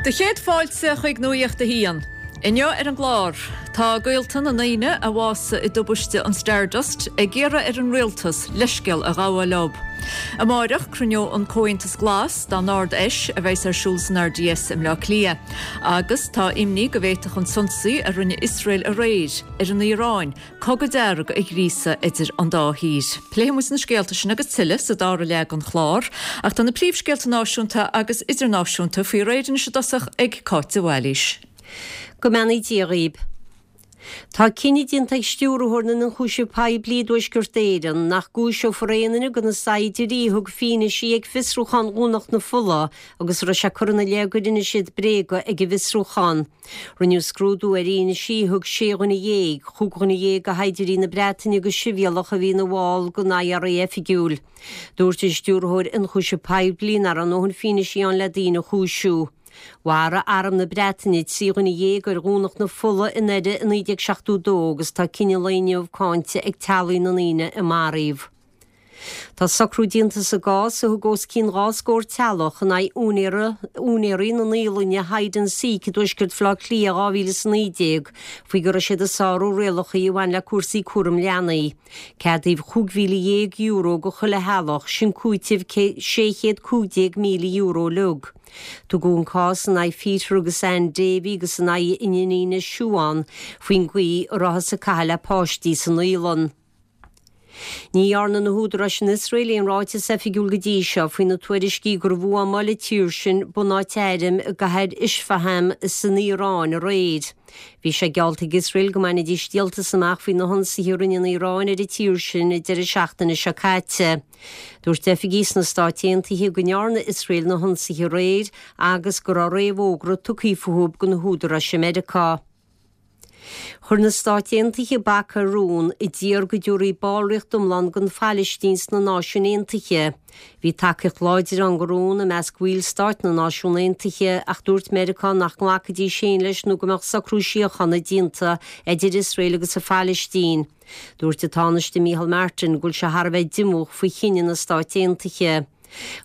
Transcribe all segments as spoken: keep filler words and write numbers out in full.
Do chéad fáilte chuig Nuacht a hAon. Inniu ar an gclár, tá gaolta na ndaoine a bhásaigh i dtubaiste an Stardust ag iarraidh ar an rialtas leithscéal a ghabháil leo. Amárach cruinneoidh an Comhaontas Glas dá n-Ard-Fheis a bheas ar siúl san R D S i mBleá Cliath, agus tá imní go bhféadfadh an t-ionsaí a rinne Iosrael aréir ar an Iaráin cogadh dearg a ghríosadh idir an dá thír. Pléifimid na scéalta sin agus tuilleadh sa dara leath den chlár, ach tá na príomhscéalta náisiúnta agus idirnáisiúnta faoi réir anois i dtosach ag Cáit de Bhailís. Go mbeannaí Dia dhaoibh. Tá cinneadh déanta ag stiúrthóir na n-ionchúiseamh poiblí i dTuaisceart Éireann nach gcúiseofar aon duine de na saighdiúirí a thug fianaise ag fiosrúchán Dhomhnach na Fola agus a raibh sé curtha ina leith gur inis siad bréaga ag an bhfiosrúchán. Rinneadh scrúdú ar fhianaise a thug sé dhuine dhéag, chúig dhuine dhéag de shaighdiúirí na Breataine agus sibhialtach a bhí ina bhall den I R A oifigiúil. Dúirt an stiúrthóir ionchúiseamh poiblí nach raibh a ndóthain fianaise ann le daoine a chúisiú. Mharaigh Arm na Breataine trí dhuine dhéag ar Dhomhnach na Fola i nDoire i naoi déag seachtó dó agus tá cinneadh an lae inniu cáinte ag teaghlaigh na ndaoine a maraíodh. Tá socrú déanta sa gcás a thug os cionn dhá scór teaghlach in aghaidh úinéirí na naíolainne Hide and Seek i dtuaisceart Bhaile Átha Cliath dhá mhíle is a naoi déag faoi go raibh siad ag sárú rialacha a bhain le cúrsaí cúram leanaí. Ceadaíodh cúig mhíle dhéag euro do chuile theaghlach, sin cúiteamh sé chéad cúig déag míle euro uilig. Tugadh an cás in aghaidh Peter agus Ann Davy agus in aghaidh a n-iníne Siobhán faoin gcaoi a rabhthas ag caitheamh le páistí san naíolann. Ní dhearna na húdaráis in Iosrael aon ráiteas oifigiúil go dtí seo faoi na tuairiscí gur bhuamáil an tír sin bunáit airm i gcathair Isfahan san Iaráin aréir. Bhí sé geallta ag Iosrael go mbainfidís díoltas amach faoi na hionsaithe a rinne an Iaráin ar an tír sin i deireadh seachtaine seo caite. Dúirt oifigigh sna Stáit Aontaithe go ndearna Iosrael na hionsaithe aréir agus go raibh réamhfhógra tugtha fúthu do na húdaráis i Meiriceá. Chuir na Stáit Aontaithe bac ar rún a d'iarr go dtabharfaí ballraíocht iomlán don Phalaistín sna Náisiúin Aontaithe. Bhí tacaíocht láidir ann don rún i measc bhallstáit na Náisiún Aontaithe, ach dúirt Meiriceá nach nglacfaidís féin leis nó go mbeadh socrú síochána déanta idir Iosrael agus an Phalaistín. Dúirt an Tánaiste Micheál Martin go bhfuil sé thar a bheith díomách faoi chinneadh na Stáit Aontaithe.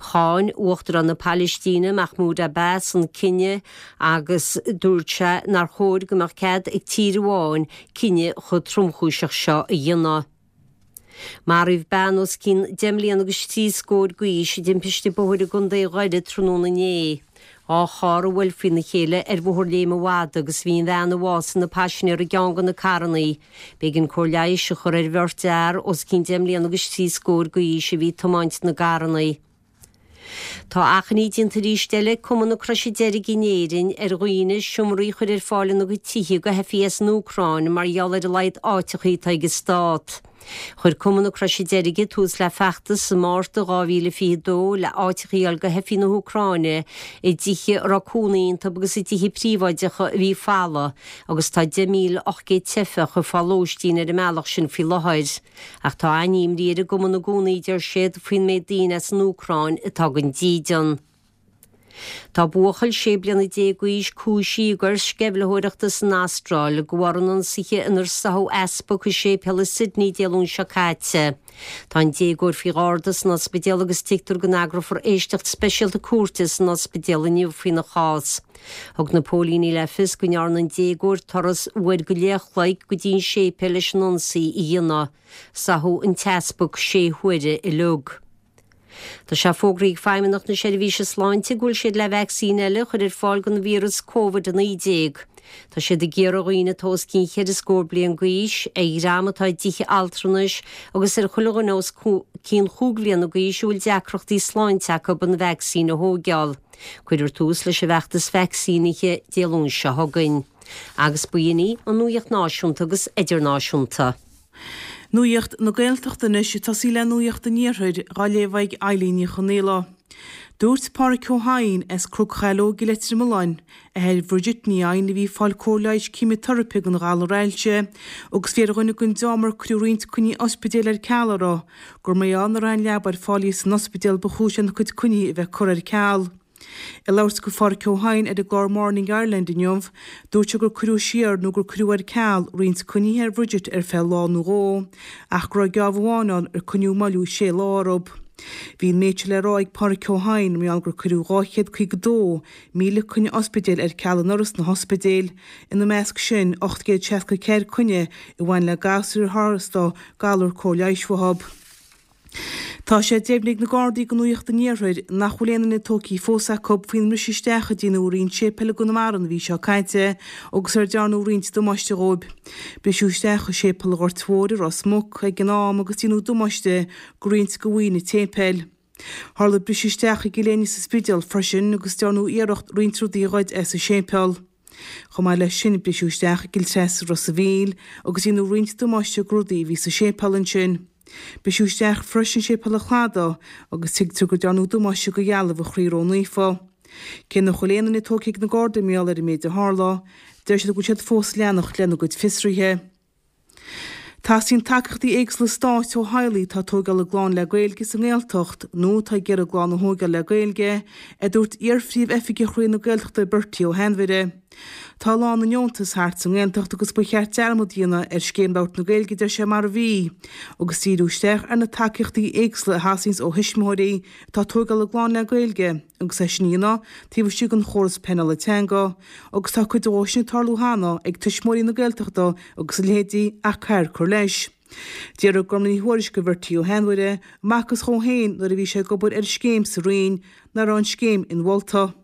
Cháin Uachtarán na Palaistíne Mahmoud Abbas an cinneadh agus dúirt sé nár chóir go mbeadh cead ag tír amháin cinneadh chomh tromchúiseach seo a dhéanamh. Maraíodh bean os cionn deich mbliana agus trí scór d'aois i dtimpiste bóthair i gContae Dhoire tráthnóna inné. Dhá charr a bhuail faoina chéile ar Bhóthar Léim an Mhadaidh agus bhí an bhean a bhásaigh ina paisinéir i gceann de na carranna. B'éigean cóir leighis a chur ar bheirt fhear os cionn deich mbliana agus trí scór d'aois a bhí ag tiomáint na gcarranna. Tá achainí déanta arís eile ag Cumann na Croise Deirge in Éirinn ar dhaoine seomraí a chur ar fáil ina gcuid tithe do theifigh as an Úcráin mar gheall ar a laghad áiteacha atá ag an stát. Chuir Cumann na Croise Deirge tús le feachtas i Márta dhá mhíle fiche dó le áiteacha a fháil do theifigh na hÚcráine i dtithe a raibh cónaí iontu agus i dtithe príobháideacha a bhí folamh, agus tá deich míle ocht gcéad teifeach ag fáil lóistín ar an mbealach sin faoi láthair. Ach tá an-imní ar an gcumann i gcónaí, deir siad, faoin méid daoine as an Úcráin atá gan dídean. Tá buachaill sé bliana déag d'aois cúisithe i gcoir sceimhlitheoireachta san Astráil de bharr an ionsaithe inar sáthadh easpag i séipéal i Sydney Dé Luain seo caite. Tá an déagóir faoi gharda san ospidéal agus tuigtear go n-eagrófar éisteacht speisialta cúirte san ospidéal inniu faoina chás. Thug na póilíní le fios go ndearna an déagóir turas uair go leith an chloig go dtí an séipéal leis an ionsaí a dhéanamh. Sáthadh an t-easpag sé huaire uilig. Tá sé fógraithe ag Feidhmeannacht na Seirbhíse Sláinte go bhfuil siad le vacsaín eile a chur ar fáil don víreas Covid a naoi déag. Tá siad ag iarraidh ar dhaoine atá os cionn cheithre scór bliain d'aois, ar dhream atá i dtithe altranais agus ar chuile dhuine os cionn chúig bhliana d'aois a bhfuil deacrachtaí sláinte acu an vacsaín a thógáil. Cuirfear tús leis an bhfeachtas vacsaínithe Dé Luain seo chugainn. Agus b'in í an nuacht náisiúnta agus idirnáisiúnta. Nuacht na Gaeltachta anois, ag tosaí le Nuacht an Iarthair á léamh ag Eilín Ní Chonaola. Dúirt Pádraig Ó hEidhin as Cnoc Shaileog i Leitir Mealláin, athair Bhridget Ní Eidhin a bhí ag fáil cóir leighis ceimiteiripe don ghalar ailse agus bhí ar dhuine den dream ar cuireadh roinnt coinní ospidéil ar ceal orthu, gur mar gheall nach raibh aon leaba ar fáil di san ospidéal ba chúis lena cuid coinní a bheith curtha ar ceal. Ag labhairt do Phádraig Ó hEidhin ar an gclár Morning Ireland inniu, dúirt sé gur cuireadh siar nó gur cuireadh ar ceal roinnt coinnithe ar Bhridget ar feadh lá nó dhó, ach go raibh geábh amháin ann ar coinníodh moilliú sé lá orthu. Bhí an méid seo le rá ag Pádraig Ó hEidhin mar gheall gur cuireadh dhá chéad caoga dó míle coinne ospidéil ar ceal anuraidh sna hospidéil, ina measc sin ocht gcéad seasca ceathair coinne a bhain le gasúir ar tharla dóibh galar cóir leighis uathu. Tá sé deimhnithe ag na Gardaí do Nuacht an Iarthair nach bhfuil aon duine tógtha fós acu faoin mbriseadh isteach a deineadh i roinnt séipéal i gConamara an mhí seo caite agus ar dearnadh roinnt damáiste dhóibh. Briseadh isteach i Séipéal an Ghoirt Mhóir i Ros Muc ag an am agus deineadh damáiste go roinnt de mhaoin an tséipéil. Tharla briseadh isteach i gCill Éinne sa Spidéal freisin agus dearnadh iarracht roinnt rudaí a ghoid as an séipéal. Chomh maith leis sin, briseadh isteach i gCill Treasa i Ros a' Mhíl agus deineadh roinnt damáiste go rudaí a bhí sa séipéal ansin. Briseadh isteach freisin i Séipéal an Chladaigh agus tuigtear go dearnadh damáiste go dhealbh an Chroí Ró-Naofa. Cé nach bhfuil aon duine tógtha ag na Gardaí mar gheall ar an méid a tharla, deir siad go bhfuil siad fós ag leanacht lena gcuid fiosruithe. Teastaíonn tacaíochtaí éagsúla stáit ó theaghlaigh atá ag tógáil a gclann le Gaeilge sa nGaeltacht nó atá ag iarraidh a gclann a thógáil le Gaeilge, a dúirt iar-phríomh-oifigeach Roinn na Gaeltachta Bertie Ó hAinmhire. Tá a lán na ndeontas thart sa nGaeltacht agus ba cheart dearmad a dhéanamh ar Scéim Labhairt na Gaeilge, deir sé, mar a bhí, agus díriú isteach ar na tacaíochtaí éagsúla a theastaíonns ó thuismitheoirí atá ag tógáil a gclann le Gaeilge agus é sin a dhéanamh taobh istigh den chóras pleanála teanga agus tá cuid dhó sin ag tarlú cheana ag Tuismitheoirí na Gaeltachta agus a leithéidí ach caithfear cur leis. D'fhiafraigh Gormlaith Ní Thuairisg de Bhertie Ó hainmhire an mb'fhacthas dhó féin nuair a bhí sé ag obair ar an scéim sa Roinn nach raibh an scéim inmholta.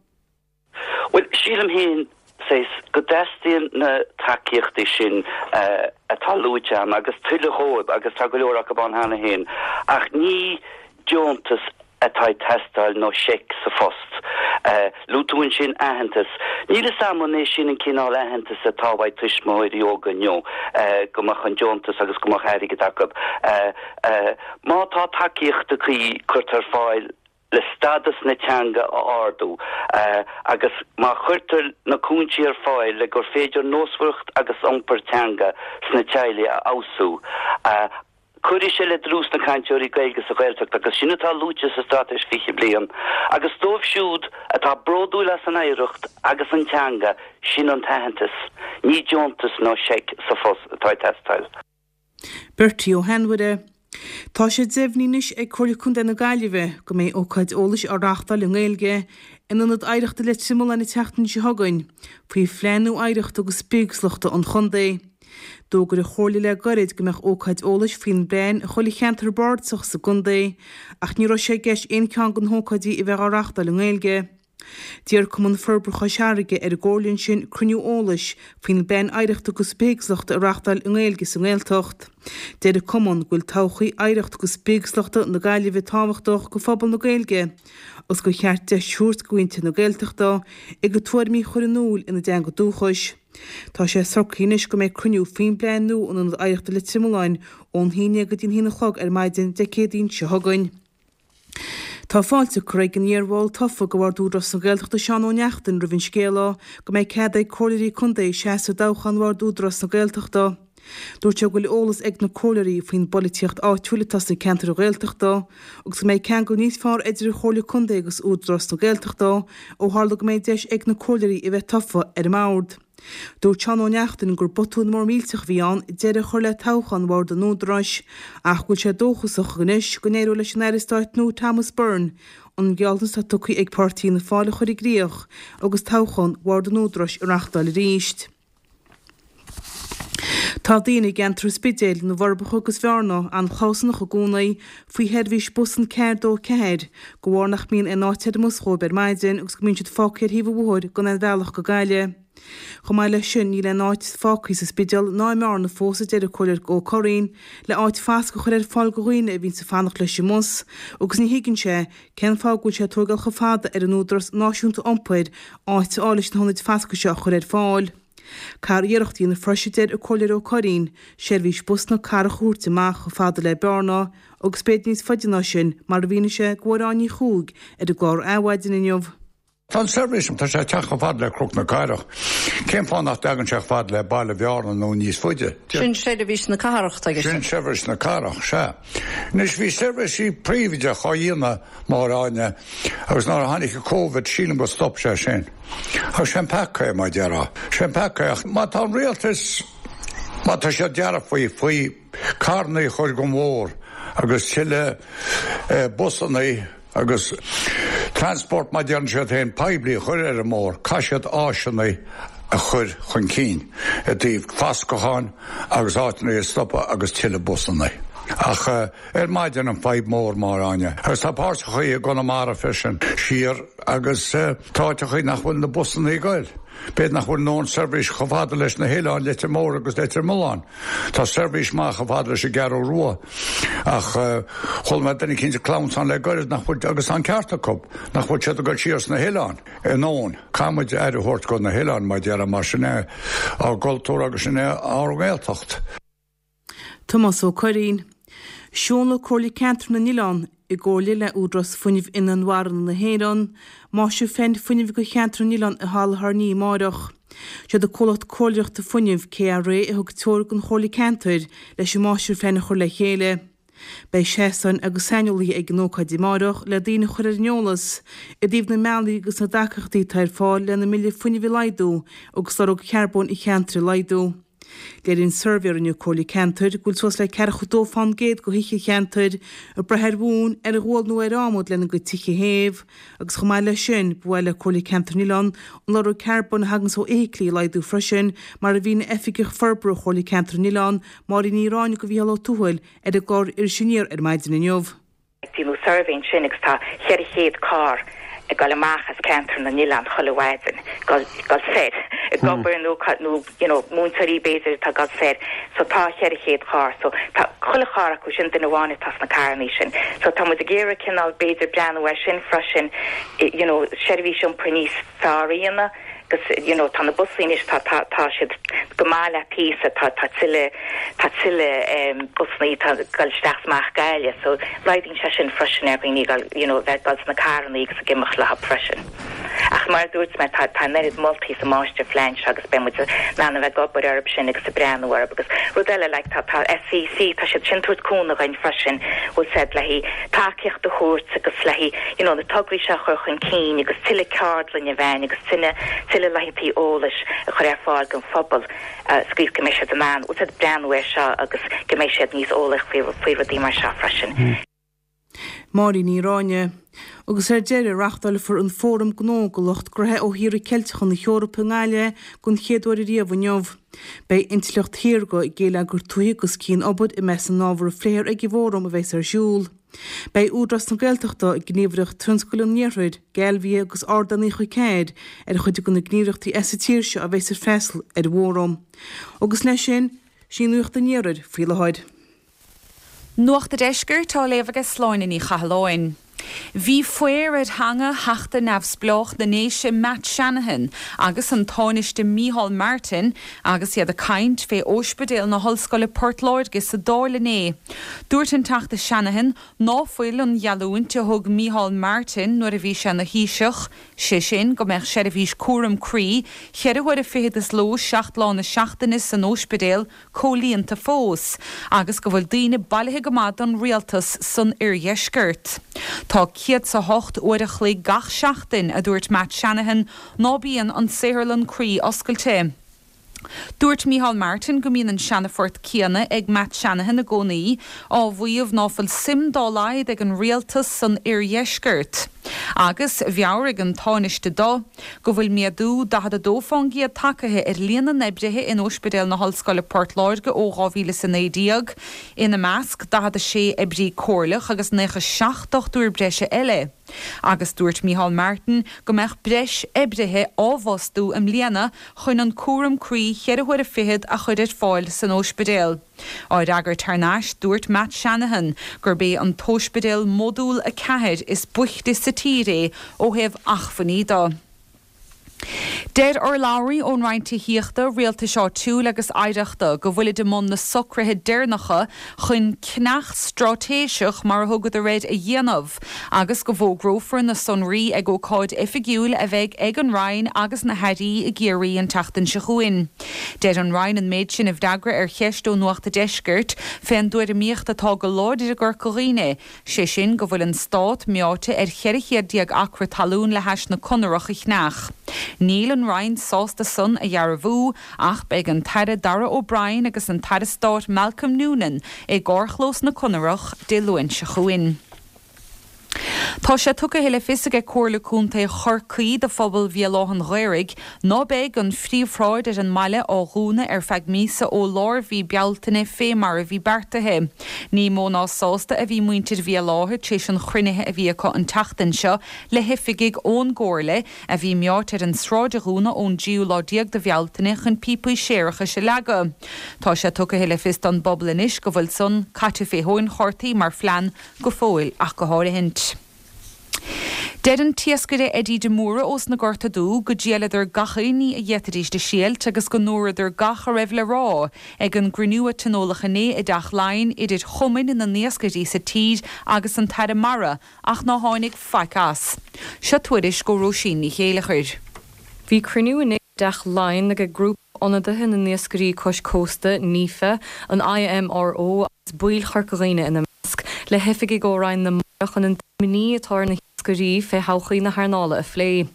Bhuel, sílim féin, saghas, go dteastaíonn na tacaíochtaí sin atá luaite ann agus tuilleadh dhóibh agus tá go leor acu ann cheana féin ach ní deontas atá ag teastáil nó seic sa phost. Luaigh tú ansin aitheantas. Níl fhios a'm an é sin an cineál aitheantais atá uaidh tuismitheoirí óga inniu, go mbeadh an deontas agus go mbeadh airgead acu. Má tá tacaíochtaí cuí curtha ar fáil le stádas na teanga a ardú agus má chuirtear na cúinsí ar fáil le gur féidir nósmhaireacht agus iompar teanga sna teaghlaigh a fheabhsú, cuirfidh sé le dlús na cainteoirí Gaeilge sa Ghaeltacht agus sin atá luaite sa Straitéis Fiche Bliain. Agus dóibh siúd atá bródúil as an oidhreacht agus an teanga, sin an t-aitheantas, ní deontas nó seic sa phost atá ag teastáil. Bertie Ó hAinmhire. Tá sé deimhnithe anois ag Comhairle Contae na Gaillimhe go mbeidh ócáid eolais á reáchtáil i nGaeilge in Ionad Oidhreachta Leitir Mealláin an tseachtain seo chugainn faoi Phlean nua Oidhreachta agus Bithéagsúlachta an Chontae. D'fhógair an Chomhairle le gairid go mbeadh ócáid eolais faoin bplean i chuile cheantar bardasach sa gcontae ach ní raibh sé i gceist aon cheann de na hócáidí a bheith á reáchtáil i nGaeilge. D'iarr Cumann Forbartha Chois Fharraige ar an gComhairle ansin cruinniú eolais faoin bPlean Oidhreachta agus Bithéagsúlachta a reáchtáil i nGaeilge sa nGaeltacht. Deir an Cumann go bhfuil todhchaí oidhreacht agus bithéagsúlachta na Gaillimhe tábhachtach go phobal na Gaeilge agus gur cheart deis a thabhairt go mhuintir na Gaeltachta a gcuid tuairimí a chur in iúl ina dteanga dúchais. Tá sé socraithe anois go mbeidh cruinniú faoin bplean nua in Ionad Oidhreachta Leitir Mealláin ón haon déag go dtí an haon a chlog ar maidin Dé Céadaoin seo chugainn. Tá fáilte curtha ag an iar-bhall tofa de Bhord Údarás na Gaeltachta Seán Ó Neachtain roimh an scéala go mbeidh cead ag comhairleoirí contae seasamh i dtoghchán Bhord Údarás na Gaeltachta. Dúirt sé go bhfuil eolas ag na comhairleoirí faoin bpolaitíocht áitiúil atá sna ceantair Ghaeltachta agus go mbeidh ceangal níos fearr idir an Chomhairle Contae agus Údarás na Gaeltachta ó tharla go mbeidh deis ag na comhairleoirí a bheith tofa ar an mbord. Dúirt Seán Ó Neachtain gur botún mór millteach a bhí ann deireadh a chur le toghchán Bhord an Údaráis ach go bhfuil sé dóchasach anois go n-éireoidh leis an Aire Stáit nua Thomas Byrne an gealltanas atá tugtha ag páirtí Fhianna Fáil a chur i gcrích agus toghchán Bhord an Údaráis a reáchtáil arís. Tá daoine i gceantar an Spidéil, na bhForbacha agus Bhearna an-chlabhsánach i gcónaí faoi sheirbhís bus an ceathair dó ceathair de bharr nach mbíonn aon áit ar an mbus dhóibh ar maidin agus go mbíonn siad fágtha ar thaobh an bhóthair gan aon bhealach go Gaillimh. Chomh maith leis sin, níl aon áit fágtha sa Spidéal ná i mBearna fós, a deir an Comhairleoir Ó Curraoin, le áit fasctha a chur ar fáil do dhaoine a bhíonns ag fanacht leis an mbus agus ní thuigeann sé cén fáth go bhfuil sé ag tógáil chomh fada ar an Údarás Náisiúnta Iompair áit a fháil leis na hionaid fasctha seo a chur ar fáil. Caithfear iarracht a dhéanamh freisin, a deir an Comhairleoir Ó Curraoin, seirbhís bus na cathrach a thabhairt amach chomh fada le Bearna agus b'fhéidir níos faide ná sin, mar a mhínigh sé do Mháire Áine Ní Chuaig ar an gclár Adhmhaidin inniu. Tá an seirbhís, tá sé ag teacht chomh fada le Cnoc na Cathrach. Cén fáth nach dtagann sé chomh fada le Baile Bhearna nó níos faide? Sin seirbhís na cathrach, tá Sin seirbhís na cathrach, sea. Anois bhí seirbhísí príobháideach á dhéanamh, Máire Áine, agus nuair a tháinig an Covid sílim go stop sé sin. Ach sé an peaca é, mar a déarfá. Sé an peaca é. Ach má tá an rialtas, má tá siad dearfa faoi, faoi carrannaí a chur den bhóthar agus tuilleadh busanna agus transport mar deireann siad féin poiblí a chur ar an mbóthar, caithfidh siad áiseanna a chur chun cinn i dtaobh fascacháin agus áiteanna a stopadh agus tuilleadh busanna. Ach ar maidin an fadhb mór Máire Áine. Agus tá páirteachaí i gConamara freisin siar agus tá áiteachaí nach bhfuil na busanna ag goil. B'fhéidir nach bhfuil aon seirbhís chomh fada leis na hoileáin Leitir Móir agus Leitir Mealláin. Tá seirbhís maith chomh fada leis an gCeathrú Rua ach chuala mé duine eicínt ag clamhsán le gairid nach bhfuil, agus tá an ceart acu, nach bhfuil siad ag goil siar sna hoileáin in ann. Caithfidh muid aire a thabhairt go na hoileáin mar déarfá mar sin é ár gcultúr agus sin é ár nGaeltacht. Tomás Ó Curraoin. Seolfaidh Comhairle Ceantar na nOileán, i gcomhairle le Údarás Fuinnimh Inmharthana na hÉireann, Máistirphlean Fuinnimh do Cheantar na nOileán i Halla Thairní amáireach. Siad an comhlacht comhairleoireachta fuinnimh, KRA, a thug treoir don Chomhairle Ceantair leis an Máistirphlean a chur le chéile. Beidh seastáin agus saineolaithe ag an ócáid amáireach le daoine a chur ar an eolas i dtaobh na mbealaí agus na dtacaíochtaí atá ar fáil lena mbille fuinnimh a laghdú agus lorg charbóin an cheantair a laghdú. Léiríonn suirbhé a rinne an Comhairle Ceantair go bhfuil suas le ceathracha dó fán gcéad de thithe an cheantair ag brath ar mhóin, ar ghual nó ar adhmad lena gcuid tithe a théamh agus chomh maith leis sin ba mhaith le Comhairle Ceantair na nOileán an lorg carbóin a thaganns ó fheithiclí a laghdú freisin mar a mhínigh Oifigeach Forbartha Chomhairle Ceantair na nOileán, Máirín Ní Ráinne do Mhícheál Ó Tuathail ar an gclár Iris Aniar ar maidin inniu. Déanadh suirbhé ansin agus tá cheithre chéad carr ag dul amach as ceantar na nOileán chuile mhaidin, dul dul soir ag obair nó nó you know múinteoirí b'fhéidir atá ag dul soir so tá cheithre chéad carr so tá chuile charr acu sin duine amháin atá sna carrannaí sin. So tá muid ag iarraidh cineál b'fhéidir breathnú air sin freisin you know seirbhís iompair níos fearr a dhéanamh agus you know tá na busanna anois tá tá tá siad go maith le píosa tá tá tuilleadh tá tuilleadh um, busanna tá dul isteach amach Gaillimh so laghdaíonn sé sin freisin ar dhaoine gal you know bheith gal sna carranna agus ag imeacht le freisin. Ach mar dúirt mé tá tá neart moltaí sa máistirphlean seo agus beidh muid in ann a bheith ag obair orthu sin agus ag breathnú orthu agus rud eile like tá tá SEC tá siad sin tabhairt cúnamh dúinn freisin bhfuil said le tacaíocht a thabhairt agus le you know na tograí seo a chur chun cinn agus tuilleadh ceardlann a bheith agus tuilleadh tuilleadh laethanta eolais a chur ar fáil don phobal scríobh go mbeidh siad in ann bhfuil said breathnú air seo agus go mbeidh siad níos eolaí faoi faoi rudaí mar seo freisin. Máirín Ní Ráinne. Agus ar deireadh reáchtálfar an Fóram Gnó do lucht gnótha ó thíortha Ceilteacha na hEorpa i nGaillimh den chéad uair riamh inniu. Beidh intleacht shaorga, geilleagar tuaithe agus cian-obair i measc na n-ábhar a phléifear ag an bhfóram a bheas ar siúl. Beidh Údarás na Gaeltachta, Gníomhaireacht Tionscail an Iarthair, Galvia agus Ardán Uí Chairr ar chuid de na gníomhaireachtaí as an tír seo a bheas ag freastal ar an bhfóram. Agus leis sin, sin Nuacht an Iarthair faoi láthair. Nuacht an Deiscirt á léamh ag Sláine Ní Chathalláin. Bhí faobhar ar theanga Theachta Neamhspleách na nDéise Matt Shanahan agus an Tánaiste Micheál Martin agus iad ag caint fé Ospidéal na hOllscoile Port Láirge sa Dáil inné. Dúirt an Teachta Shanahan ná fuil an gheallúint a thug Micheál Martin nuair a bhí sé ina Thaoiseach, sé sin go mbeadh seirbhís cúram croí, ceithre huaire fichead sa ló seacht lá na seachtaine san ospidéal comhlíonta fós, agus go bhfuil daoine bailithe go maith don rialtas san oirdheisceart. Tá céad sa hocht uair a chloig gach seachtain a dúirt Matt Shanahan ná bíonn an saotharlann croí oscailte. Dúirt Micheál Martin go mbíonn an seanaphort céanna ag Matt Shanahan i gcónaí á mhaíomh ná fuil suim dá laghad ag an rialtas san oirdheisceart. Agus mheabhraigh an Tánaiste dó go bhfuil méadú daichead a dó faoin gcéad tagtha ar líon na n-oibrithe in Ospidéal na hOllscoile Port Láirge ó dhá mhíle is a naoi déag, ina measc daichead a sé oibrí comhairleach agus nócha seacht dochtúir breise eile. Agus dúirt Micheál Martin go mbeadh breis oibrithe á bhfostú i mbliana chun an cúram croí ceithre huaire fichead a chur ar fáil san ospidéal. Á fhreagairt thar n-ais dúirt Matt Shanahan gurb é an t-ospidéal modúl a ceathair is boichte sa tír é ó thaobh acmhainní de. Deir urlabhraí ón Roinn Tithíochta, Rialtais Áitiúil agus Oidhreachta go bhfuilid i mbun na socruithe deireanacha chun ceannach straitéiseach mar a thugadar air a dhéanamh, agus go bhfógrófar na sonraí ag ócáid oifigiúil a bheidh ag an Roinn agus na hairí i gCiarraí an tseachtain seo chugainn. Deir an Roinn an méid sin i bhfreagra ar cheist ó Nuacht an Deiscirt fén dtuairimíocht atá go láidir i gCorca Dhuibhne, sé sin go bhfuil an stát meáite ar cheithre chéad déag acra talún le hais na Conarach a cheannach. Níl an Roinn sásta san a dhearbhú ach beidh an tAire Darragh O'Brien agus an tAire Stáit Malcolm Noonan i gcarrchlós na Conarach Dé Luain seo chugainn. Tá sé tugtha le fios ag Comhairle Contae Chorcaí do phobal Bhéal Átha an Ghaorthaidh ná beidh an phríomhshráid ar an mbaile á dhúnadh ar feadh míosa ó lár mhí Bealtaine fé mar a bhí beartaithe. Ní mó ná sásta a bhí muintir Bhéal Átha tar éis an chruinnithe a bhí acu an tseachtain seo le hoifigigh ón gcomhairle a bhí meáite ar an sráid a dhúnadh ón dtríú lá déag de Bhealtaine chun píopaí séarachais a leagadh. Tá sé tugtha le fios don bpobal anois go bhfuil san caite fé thóin chártaí mar phlean go fóill ach go háirithint. Deir an t-iascaire Eddie de Mórdha ós na Gorta Dubha go dtriaileadar gach aon ní a d'fhéadfaidís a thriailt agus go ndúradar gach a raibh le rá ag an gcruinniú a tionóladh inné i dTeach Laighean idir chumainn na n-iascairí sa tír agus an tAire Mara ach ná tháinig faic as. Seo tuairisc ó Róisín Ní Chéilleachair. Bhí cruinniú inné i dTeach Laighean ag grúpa ionadaithe na n-iascairí cois cósta, NIFA, an IMRO agus baill Chorca Dhuibhne ina measc, le hoifigigh ó Roinn na Mara chun an imní atá ar na hiascairí fé thodhchaí na hearnála a phlé.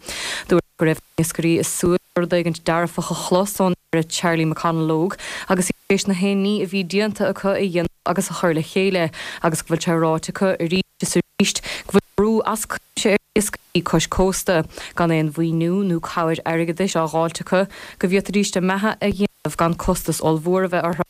Dúradh go raibh na hiascairí ag súil le rud éigin dearfach a chlos ón Aire Charlie McConalogue agus iad tar éis na haon ní a bhí déanta acu a dhéanamh agus a chur le chéile agus go bhfuil sé ráite acu arís is arís go bhfuil brú as cuimse ar iascairí cois cósta, gan aon mhaoiniú nó cabhair airgeadais á dh'fháilt acu, go bhféadfaidís a mbeatha a dhéanamh gan costas ollmhór a bheith orthu.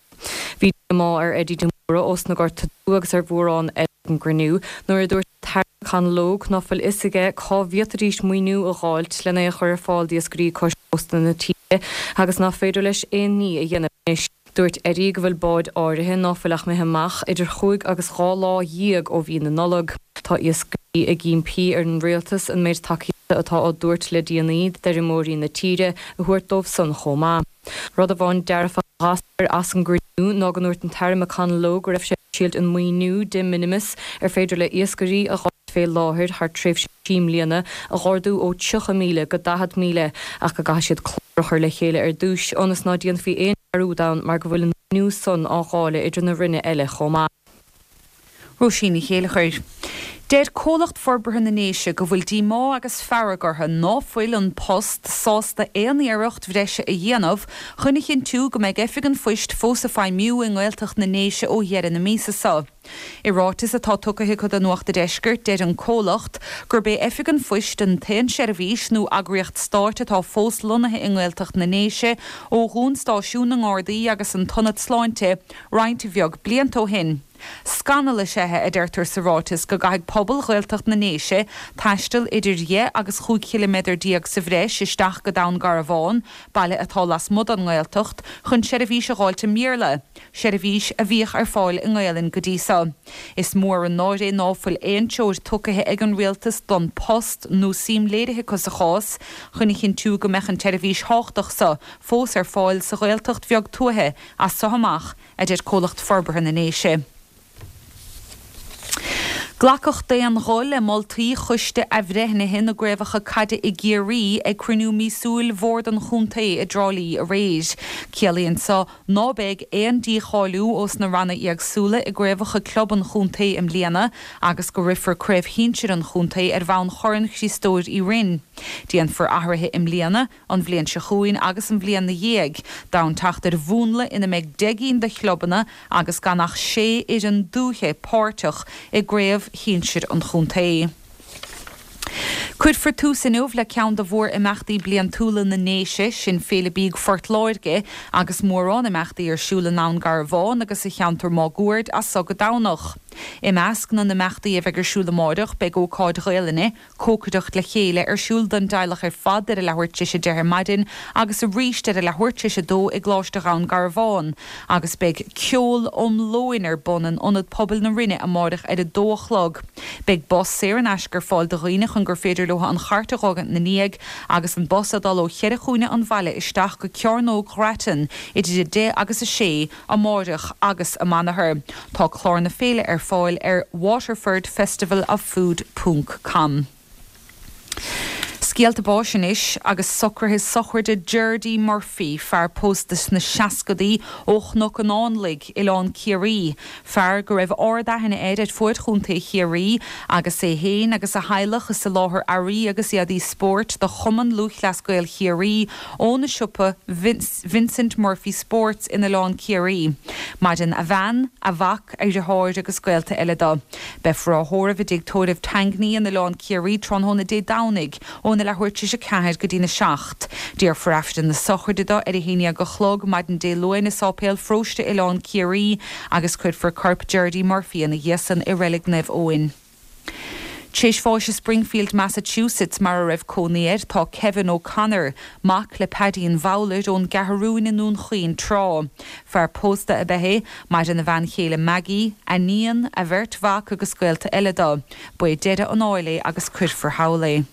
Bhí díomá ar Eddie de Mórdha ós na Gorta Dubha agus ar mhórán eile ag an gcruinniú nuair a dúirt an tAire McConalogue ná fuil fhios aige cá bhféadfaidís maoiniú a dh'fháilt lena é a chur ar fáil d'iascairí cois cósta na tíre agus ná féidir leis aon ní a dhéanamh anois. Dúirt Eddie go bhfuil báid áirithe ná fuil ach imithe amach idir chúig agus dhá lá dhéag ó mhí na Nollag. Tá iascairí ag impí ar an rialtas an méid tacaíochta atá á dtabhairt le déanaí d'fheirmeoirí na tíre a thabhairt dóibh san chomh maith. Rud amháin dearfach a d'eascair as an gcruinniú ná go ndúirt an tAire McConalogue go raibh sé ag triailt an maoiniú de minimis ar féidir le iascairí a dh'fháilt fé láthair thar tréimhse trí mbliana a dh'ardú ó tríocha míle go daichead míle ach go gcaithfidh siad clár a chur le chéile ar dtús ionas ná déanfaí aon dearúd ann mar go bhfuil an maoiniú san á dháileadh idir na Ranna eile chomh maith. Róisín Ní Chéilleachair. Deir Comhlacht Forbartha na nDéise go bhfuil díomá agus fearg orthu ná fuil An Post sásta aon iarracht bhreise a dhéanamh chun a chinntiú go mbeidh Oifig an Phoist fós ag feidhmiú i nGaeltacht na nDéise ó dheireadh na míosa seo. I ráiteas atá tugtha acu do Nuacht an Deiscirt, deir an comhlacht gurb é Oifig an Phoist an t-aon seirbhís nó eagraíocht stáit atá fós lonnaithe i nGaeltacht na nDéise ó dhún stáisiún na nGardaí agus an tIonad Sláinte roinnt bheag blianta ó shin. Scannal is ea é, a deirtear sa ráiteas, go gcaithfidh pobal Ghaeltacht na nDéise taisteal idir dheich agus chúig chiliméadar déag sa bhreis isteach go Dún Garbhán, baile atá lasmuigh den nGaeltacht, chun seirbhís a dh'fháilt i mBéarla, seirbhís a bhíodh ar fáil i nGaelainn go dtí so. Is mór an náire é ná fuil aon treoir tugtha ag an Rialtas don Post nó suim léirithe acu sa chás chun a chinntiú go mbeadh an tseirbhís thábhachtach so fós ar fáil sa Ghaeltacht bheag tuaithe as so amach, a deir Comhlacht Forbartha na nDéise. Glacadh d'aon ghuth le moltaí Choiste Athbhreithnithe na gCraobhacha Caide i gCiarraí ag cruinniú míosúil Bhord an Chontae i dTrá Lí aréir. Ciallaíonn so ná beidh aon dícháiliú ós na ranna éagsúla i gcraobhacha club an chontae i mbliana agus go rithfear Craobh Shinsir an Chontae ar bhonn Chorn Chriostóir Uí Rinn. Déanfar athruithe i mbliana, an bhliain seo chugainn agus an bhliain 'na dhiaidh, d'fhonn teacht ar mhúnla ina mbeidh deich gcinn de chlubanna agus gan ach sé fhoireann dúiche páirteach i gcraobh shinsir an chontae. Cuirfear tús inniu le ceann de mhór-imeachtaí bliantúla na nDéise, sin Féile Bídh Phort Láirge, agus mórán imeachtaí ar siúl i nDún Garbhán agus sa cheantar máguaird as so go Domhnach. I measc na n-imeachtaí a bheidh ar siúl amáireach beidh ócáid Ghaelainne, Cócaireacht le Chéile, ar siúl don dteaghlach ar fad ar a leathuair tar éis a deich ar maidin agus arís ar a leathuair tar éis a dó i gColáiste Dhún Garbhán agus beidh Ceol um Lóin ar bun in Ionad Pobail na Rinne amáireach ar a dó a chlog. Beidh bus saor in aisce ar fáil do dhaoine chun gur féidir leo an chairt a dh'fhágaint 'na ndiaidh agus an bus ag dul ó cheithre chúinne an bhaile isteach go Cearnóg Ghrattan idir a deich agus a sé amáireach agus amanathar. Tá clár na féile ar fáil ar waterford festival of food ponc com. Scéalta báis anois agus socruithe sochraide Gerdy Murphy, fear pósta sna seascadaí ó Chnoc an Fhánlaigh, Oileán Ciarraí, fear go raibh ard-aithne air ar fuaid Chontae Chiarraí agus é féin agus a theaghlach ag soláthar earraí agus éadaí spóirt do Chumann Lúthchleas Gael Chiarraí óna siopa Vincent Murphy Sports in Oileán Ciarraí. Maireann a bhean, a mhac, a dheartháir agus gaolta eile dó. Beifear á thórramh i dTigh Tórraimh Tangney in Oileán Ciarraí tráthnóna Dé Domhnaigh óna leathuair tar éis a ceathair go dtína seacht. Déarfar Aifreann na sochraide dó ar a haon déag a chlog maidin Dé Luain i Sáipéal Pharóiste Oileán Ciarraí agus cuirfear corp Gerdy Murphy ina dhiaidh san i Reilig Naomh Eoin. Tar éis bháis i Springfield, Massachusetts mar a raibh cónaí air, tá Kevin O'Connor, mac le Paidín Bhowler ón gCeathrúin i nDún Chaoin tráth. Fear pósta ab ea é, maireann a bhean chéile Maggie, a iníon, a bheirt mhac agus gaolta eile dó. Ba é deireadh an áil é agus cuirfear thall é.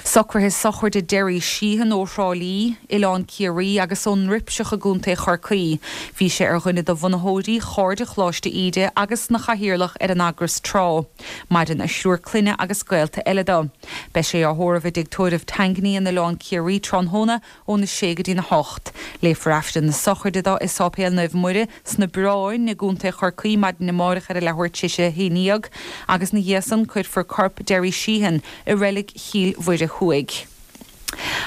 Socruithe sochraide Derry Sheehan ó Thrá Lí, Oileán Ciarraí agus ón nDruipseach i gContae Chorcaí. Bhí sé ar dhuine de bhunaitheoirí Chairde Choláiste Íde agus ina chathaoirleach ar an eagras tráth. Maireann a thriúr clainne agus gaolta eile dó. Beidh sé á thórramh i dTigh Tórraimh Tangney in Oileán Ciarraí tráthnóna óna sé go dtína hocht. Léifear Aifreann na sochraide dó i Sáipéal Naomh Muire sna Bráin i gContae Chorcaí maidin amárach ar a leathuair tar éis a haon déag agus ina dhiaidh san cuirfear corp Derry Sheehan i reilig Chill Mhuire Thuaidh.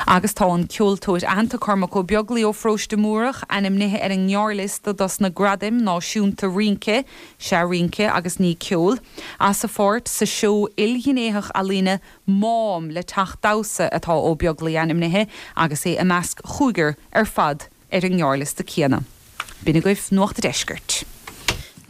Agus tá an ceoltóir aitheanta Cormac Ó Beaglaoich ó Pharóiste Múrach ainmnithe ar an ngearrliosta dos na Gradaim Náisiúnta Rince, sea rince agus ní ceol, as a pháirt sa seó ilghnéitheach ealaíne Mám le Teach Damhsa atá Ó Beaglaoich ainmnithe agus é i measc chúigear ar fad ar an ngearrliosta céanna. B'in agaibh Nuacht an Deiscirt.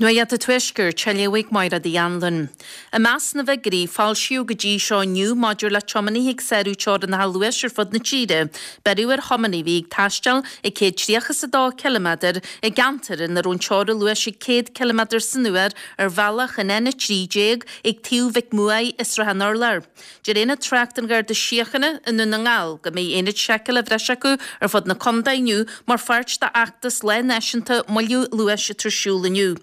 Nuacht an Tuaiscirt, á léamh ag Máire Uí Anluain. I measc na bhfigiúirí a foilsíodh go dtí seo inniu maidir le tiománaithe ag sárú teorainneacha luais ar fud na tíre, beireadh ar thiománaí a bhí ag taisteal ag céad tríocha is a dó ciliméadar i gceantar ina raibh an teora luais ag céad ciliméadar san uair ar bhealach an N a trí déag ag taobh Mhic Muaidh i Srath an Urláir. Deir Aonad Tráchta an Gharda Síochána i nDún na nGall go mbeidh aonaid seiceála bhreise acu ar fud na contae inniu mar pháirt d'fheachtas Lá Náisiúnta Moilliú Luais atá ar siúl inniu.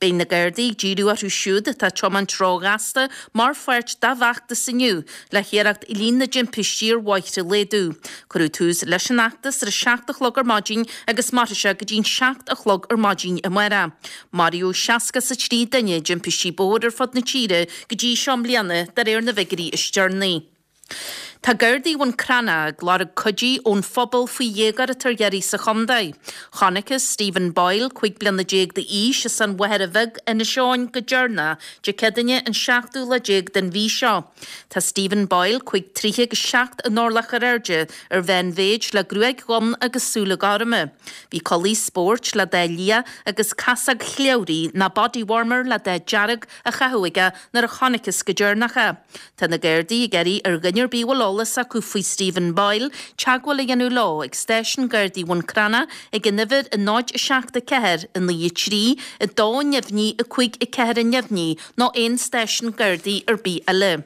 Beidh na Gardaí ag díriú orthu siúd atá ag tiomáint róghasta mar pháirt dá bhfeachtas inniu le hiarracht líon na dtimpistí ar bhóithre a laghdú. Cuireadh tús leis an fheachtas ar a seacht a chlog ar maidin agus mairfidh sé go dtí'n seacht a chlog ar maidin amárach. Maraíodh seasca is a trí duine i dtimpistí bóthair ar fud na tíre go dtí seo i mbliana de réir na bhfigiúirí is deireanaí. Tá Gardaí Bhun Cranncha ag lorg cuidí ón phobal faoi dhéagóir atá ar iarraidh sa chontae. Chonacthas Stephen Boyle, cúig bliana déag d'aois, as an Mhachaire Bheag, Inis Eoghain, go deireanach Dé Céadaoine an seachtú lá déag den mhí seo. Tá Stephen Boyle, cúig troithe agus seacht n-orlach ar airde, ar mheánmhéid le gruaig dhonn agus súile gorma. Bhí culaith spóirt le dath liath agus casóg chliabhraigh nó body warmer le dath dearg á chaitheamh aige nuair a chonacthas go deireanach é. Tá na Gardaí ag iarraidh ar dhuine ar bith a bhfuil eolas acu faoi Stephen Boyle teagmháil a dhéanamh leo ag Stáisiún Gardaí Bhun Cranncha ag an uimhir a náid a seacht a ceathair a naoi a trí a dó neamhní a cúig a ceathair a neamhní nó aon stáisiún Gardaí ar bith eile.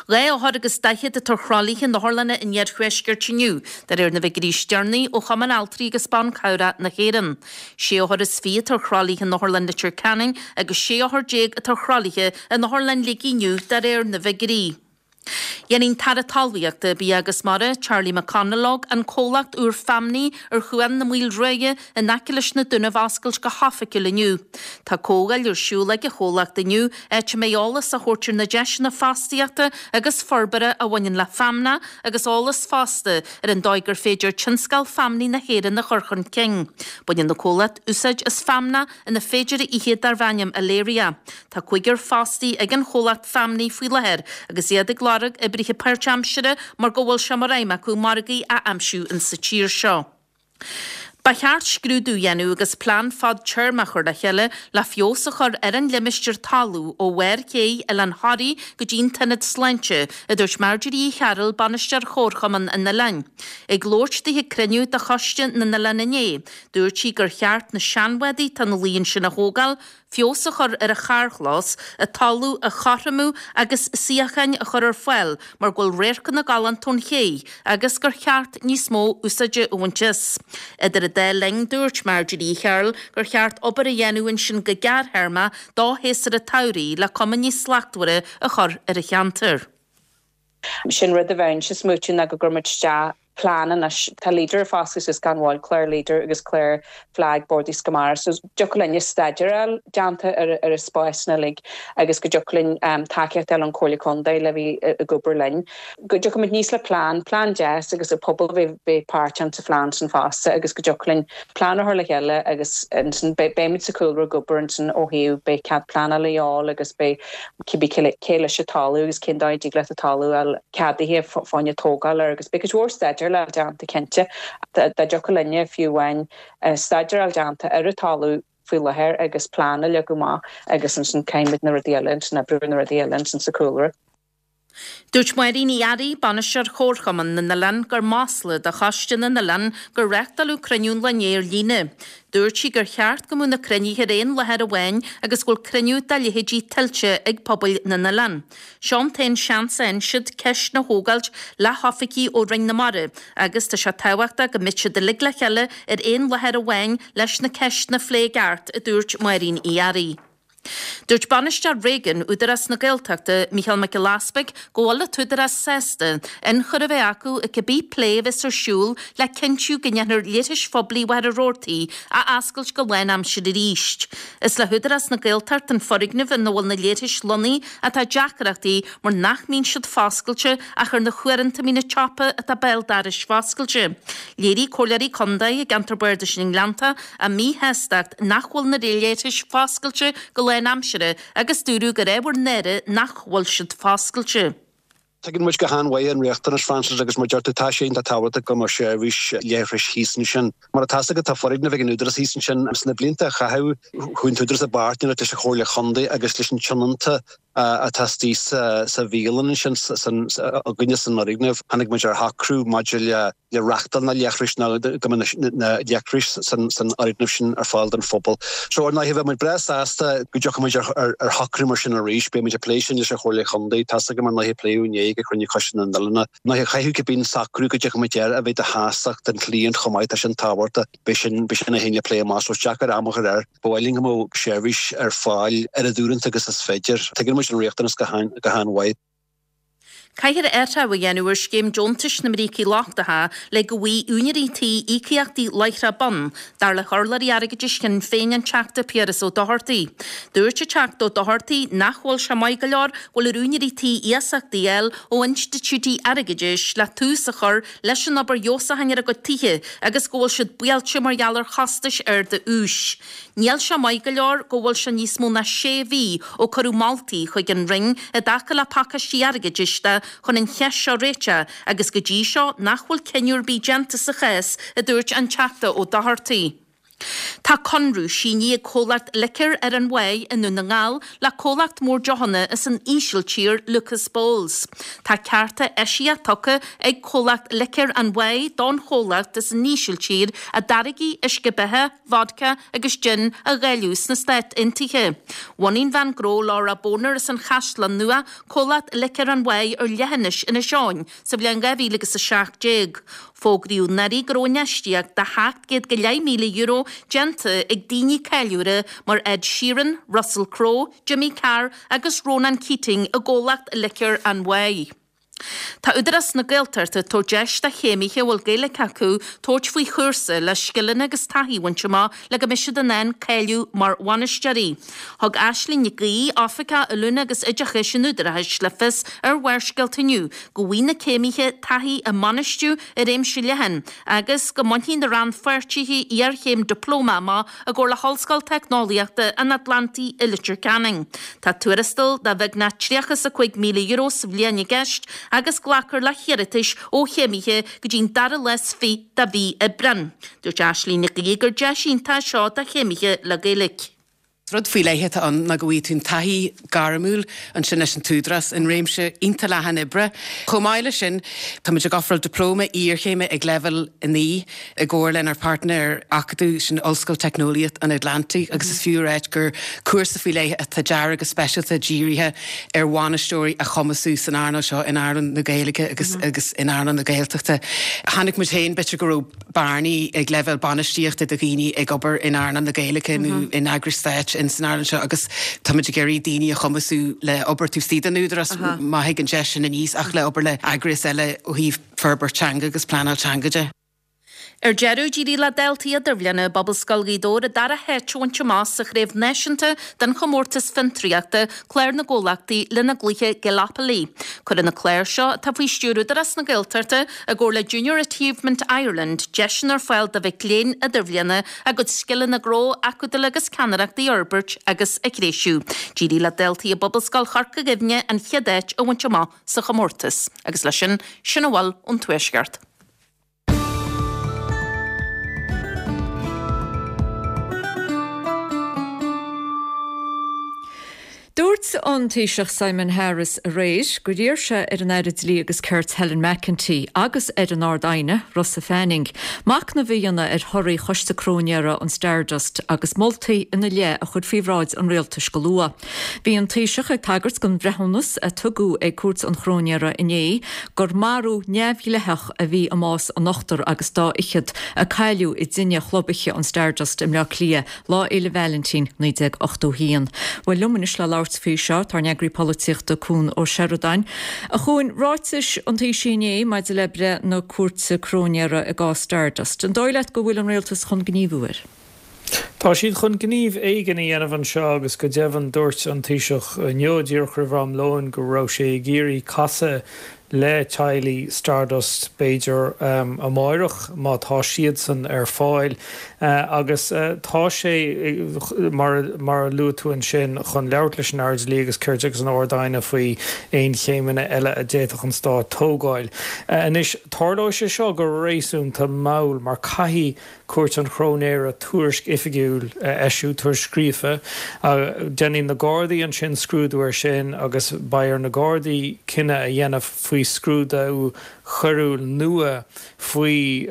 Dhá othar agus daichead atá ar thralaithe in otharlanna an iarthuaiscirt inniu, de réir na bhfigiúirí is deireanaí ó Chumann Altraí agus Ban Cabhrach na hÉireann. Sé othar is fiche atá ar thralaithe in Otharlann Leitir Ceanainn agus sé othar déag atá ar thralaithe in Otharlann Shligigh inniu, de réir na bhfigiúirí. Dhéanfaidh an tAire Talmhaíochta, Bia agus Mara, Charlie McConalogue, an comhlacht úr feamnaí ar Chuan na Maoilruaidhe in aice leis na Dúnaibh a oscailt go hoifigiúil inniu. Tá comhdháil ar siúl ag an chomhlacht inniu, áit a mbeidh eolas á thabhairt ar na deiseanna fostaíochta agus forbartha a bhaineann le feamnach agus eolas fosta ar an dóigh gur féidir tionscal feamnaí na hÉireann a chur chun cinn. Baineann an comhlacht úsáid as feamnach ina féidir a ithe darb ainm Aleria. Tá cúigear fostaí ag an chomhlacht feamnaí faoi láthair agus iad ag lorg oibrithe páirtaimseartha mar go bhfuil sé mar aidhm acu margaí a aimsiú in sa tír seo. Ba cheart scrúdú a dhéanamh agus plean fadtéarmach a chur le chéile le feabhas a chur ar an limistéar talún ó bharr ché Oileán Thoraí go dtí an tIonad Sláinte, a dúirt Marjorie Uí Chearúil, Bainisteoir Chomharchumann an Oileáin. Ag labhairt di ag cruinniú de Choiste na nOileán inné, dúirt sí gur cheart na seanbhádaí atá ina luí ansin a thógáil, feabhas a chur ar an charrchlós, an talamh a chothromú agus suíocháin a chur ar fáil mar go bhfuil radharcanna galánta ón ché agus gur cheart níos mó úsáide a bhaint as. Idir an dá linn, dúirt Marjorie Uí Chearúil gur cheart obair a dhéanamh ansin go gearrthéarmach do shéasúr an tsamhraidh le cuma níos slachtmhaire a chur ar an cheantar. Sin rud a bheinnse ag smaoitiú ná go gcuirfimid isteach plean anois tá Leader foscailte suas gan mhoill clár Leader agus clár FLAG Bord Iascaigh Mara so dtiocfadh linn staidéar déanta ar ar a spásanna uilig agus go dtiocfadh linn um, tacaíocht eile an Comhairle Contae le bhí ag obair linn. Go dtiocfaimid níos le plean, plean deas agus an pobal bheith bheith páirteach sa phlean sin fosta agus go dtiocfadh linn plean a chur le chéile agus ansin beimid sa chúlra ag obair ansin ó thaobh beidh cead pleanála a fháil agus beidh cibé cé leis an talamh agus cén dóigh a dtig leat an talamh a fháil ceadaithe fá choinne tógáil air agus beidh cuid mhór staidéar le déanta cinnte dá dtiocfadh linne fiú amháin staidéar déanta ar an talamh faoi láthair agus plean a leagadh amach agus ansin caithfimid na rudaí eile ansin oibriú na rudaí eile ansin sa chúlra. Dúirt Máirín Uí Fhearraigh, bainisteoir Chomharchumann na nOileán gur masla do Choiste na nOileán gur reáchtáladh cruinniú an lae inné ar líne. Dúirt sí gur cheart go mbeadh na cruinnithe ar aon láthair amháin agus go bhfuil cruinniú dá leithéidí tuillte ag pobail na n-oileán. Seo an t-aon seans a fhaigheann siad ceist a thógáilt le hoifigigh ó Roinn na Mara agus tá sé tábhachtach go mbeidh siad uilig le chéile ar aon láthair amháin leis na ceisteanna a phlé i gceart, a dúirt Máirín Uí Fhearraigh. Dúirt bainisteoir Reagan Údarás na Gaeltachta Micheál Mac Giolla Easpaig go bhfuil an t-údarás sásta ionchur a bheith acu i cibé plé a bheas ar siúl le cinntiú go ndéanfar leithris phoiblí Mhachaire Rabhartaigh a oscailt go lánaimseartha arís. Is le hÚdarás na Gaeltachta an foirgneamh ina bhfuil na leithris lonnaithe atá deacrachtaí mar nach mbíonn siad foscailte ach ar na huaireanta a mbíonn an tsiopa atá béal dorais foscailte. Léirigh comhairleoirí contae i gceantar Bardais na nGleannta a míshástacht nach bhfuil na leithris foscailte go lánaimseartha agus dúradh gur ábhar náire nach bhfuil siad foscailte. Tuigeann muid go han-mhaith an riachtanas Francis agus mar deir tú tá sé iontach tábhachtach go mbeadh seirbhís leithris thíos ansin. Mar atá go tá foirgneamh ag an Údarás thíos ansin sna blianta a caitheadh chuaigh an t-údarás i bpáirtnéireacht leis an Chomhairle Chontae agus leis an tionónta atá istigh sa bhialann sin againne san fhoirgneamh. Tháinig muid ar shocrú maidir le le reáchtáil na leithris ná go na leithris san san fhoirgneamh sin ar fáil don phobal. So ar ndóigh bheadh muid breá sásta go dtiocfadh muid ar ar shocrú mar sin arís, beidh muid ag plé sin leis an Chomhairle Chontae, Tá go mar ndóigh pléadh inné ag cruinniú Choiste na nOileán. Ndóigh chaithfeadh cibé socrú go dtiocfadh muid air a bheith de shástacht don chliant chomh maith tá sin tábhachtach beidh sin beidh sin a haon le plé amach so deacair am a chur air. Ba mhaith linn go mbeadh seirbhís ar fáil ar a uaireanta agus is féidir. Tuigeann muid an riachtanas go han-mhaith. Caithfear athrú a dhéanamh ar scéim deontais na mbrící lochtacha le go bhfaighidh úinéirí tí íocaíochtaí láithreach bonn, dar le hurlabhraí airgeadais Shinn Féin an Teachta Piaras Ó Dochartaigh. Dúirt an Teachta Ó Dochartaigh nach bhfuil sé maith go leor go bhfuil ar úinéirí tí iasachtaí a fháil ó institiúidí airgeadais le tús a chur leis an obair fheabhsúcháin ar a gcuid tithe agus go bhfuil siad buailte mar gheall ar chostais arda úis. Níl sé maith go leor go bhfuil sé níos mó ná sé mhí ó cuireadh moltaí chuig an Roinn i dtaca le pacáistí airgeadais de chun an cheist seo a réiteach agus go dtí seo nach bhfuil cinneadh ar bith déanta sa chás, a dúirt an Teachta Ó Dochartaigh. Tá conradh sínithe ag comhlacht Licéir Árainn Mhaigh i nDún na nGall le comhlacht mór deochanna as an Ísiltír Lucas Bols. Tá cearta eisiach tugtha ag comhlacht Licéir an Mhaigh don chomhlacht as an Ísiltír a dtáirgí uisce beatha, vodka agus gin a dháileadh sna Stáit Aontaithe. Bhunaigh an bhean gnó Laura Boner as an Chaisleán Nua comhlacht Licéir an Mhaigh ar leithinis Inis Eoghain sa bhliain dhá mhíle agus a seacht déag. Fógraíodh anuraidh go raibh infheistíocht de sheacht gcéad go leith míle euro déanta ag daoine cáiliúla mar Ed Sheeran, Russell Crowe, Jimmy Carr agus Ronan Keating i gcomhlacht Licéir an Mhaigh. Tá Údarás na Gaeltachta ag tabhairt deis do chéimithe a bhfuil Gaeilge acu tabhairt faoi chúrsa le scileanna agus taithí a bhaint amach le go mbeidh siad in ann cáiliú mar bhainisteoirí. Thug Aisling Nic Aoidh, Oifigeach Oiliúna agus Oideachais an Údaráis le fios ar Bharrscéalta inniu go bhfaighidh na céimithe taithí i mbainistiú i réimse leathan agus go mbainfidh na rannpháirtithe iarchéim dioplóma amach i gcomhar le hOllscoil Teicneolaíochta an Atlantaigh i Leitir Ceanainn. Tá tuarastal de bheagnach tríocha is a cúig míle euro sa bhliain i gceist agus glacfar le hiarratais ó chéimithe go dtí'n dara lá is fiche de mhí Aibreán. Dúirt Aisling Nic Aoidh gur deis iontach é seo do chéimithe le Gaeilge. Rud faoi leith atá ann ná go bhfaighidh tú an taithí gairmiúil ansin leis an t-údarás in réimse iontach leathan oibre. Chomh maith leis sin, táimid ag ofráil dioplóma iarchéime ag leibhéal a naoi i gcomhar lenár páirtnéir acadúil sin Ollscoil Teicneolaíocht an Atlantaigh agus is fiú a ráit gur cúrsa faoi leith atá deartha go speisialta dírithe ar bhainisteoirí a chumasú san earnáil seo in earnáil na Gaeilge agus agus in earnáil na Gaeltachta. Chonaic muid féin b'fhéidir go raibh bearnaí ag leibhéal bainistíochta do dhaoine ag obair in earnáil na Gaeilge nó in eagrais stáit in san earnáil seo agus táimid ag iarraidh daoine a chumasú le obair taobh istigh den Údarás má thig an deis sin aníos ach le obair le eagrais eile ó thaobh forbairt teanga agus pleanáil teanga de. Ar deireadh, d'éirigh le daltaí idirbhliana i bPobalscoil Ghaoth Dobhair an dara háit a bhaint amach sa chraobh náisiúnta den chomórtas fiontraíochta Clár na gComhlachtaí lena gcluiche Gaelopoly. Cuireann na cláir seo, atá faoi stiúir Údarás na Gaeltachta i gcomhar le Junior Achievement Ireland, deiseanna ar fáil do mhic léinn idirbhliana a gcuid scileanna gnó, acadúla agus ceannaireachta a fhorbairt agus a threisiú. D'éirigh le daltaí i bPobalscoil Chorca Dhuibhne an chéad áit a bhaint amach sa chomórtas. Agus leis sin, sin a bhfuil ón Tuaisceart. Dúirt an Taoiseach Simon Harris aréir gur iarr sé ar an Aire Dlí agus Cirt Helen McEntee agus ar an Ard-Aighne, Rossa Fanning, machnamh a dhéanamh ar thorthaí Choiste Cróinéara an Stardust agus moltaí ina leith a chur faoi bhráid an rialtais go luath. Bhí an Taoiseach ag tagairt don bhreithiúnas a tugadh ag Cúirt an Chróinéara inné gur marú neamhdhleathach a bhí i mbás an ochtar agus dá fhichead a cailleadh i dtine chlub oíche an Stardust i mBleá Cliath Lá Fhéile Vailintín naoi déag ochtó a haon. Bhuel liom anois le labhairt faoi seo, tá ár n-eagraí polaitíochta Cuan Ó Seireadáin. A Chuain, ráitis an Taoisigh inné maidir le breith na Cúirte Cróinéara i gcás Stardust. An dóigh leat go bhfuil an rialtas chun gníomhú air? Tá siad chun gníomh éigin a dhéanamh anseo agus go deimhin dúirt an Taoiseach inniu díreach roimh am lóin go raibh sé ag iarraidh casadh le teaghlaigh Stardust b'fhéidir amáireach má tá siadsan ar fáil agus tá sé mar mar a luaigh tú ansin chun labhairt leis an Aire Dlí agus Cirt agus an Ard-Aighne faoi aon chéimeanna eile a d'fhéadfadh an Stát tógáil. Anois tarlóidh sé seo go réasúnta mall mar caithfidh Cúirt an Chróinéara tuairisc oifigiúil a eisiú, tuairisc scríofa. Déanfaidh na Gardaí ansin scrúdú air sin agus beidh ar na Gardaí cinneadh a dhéanamh faoi scrúdú coiriúil nua faoi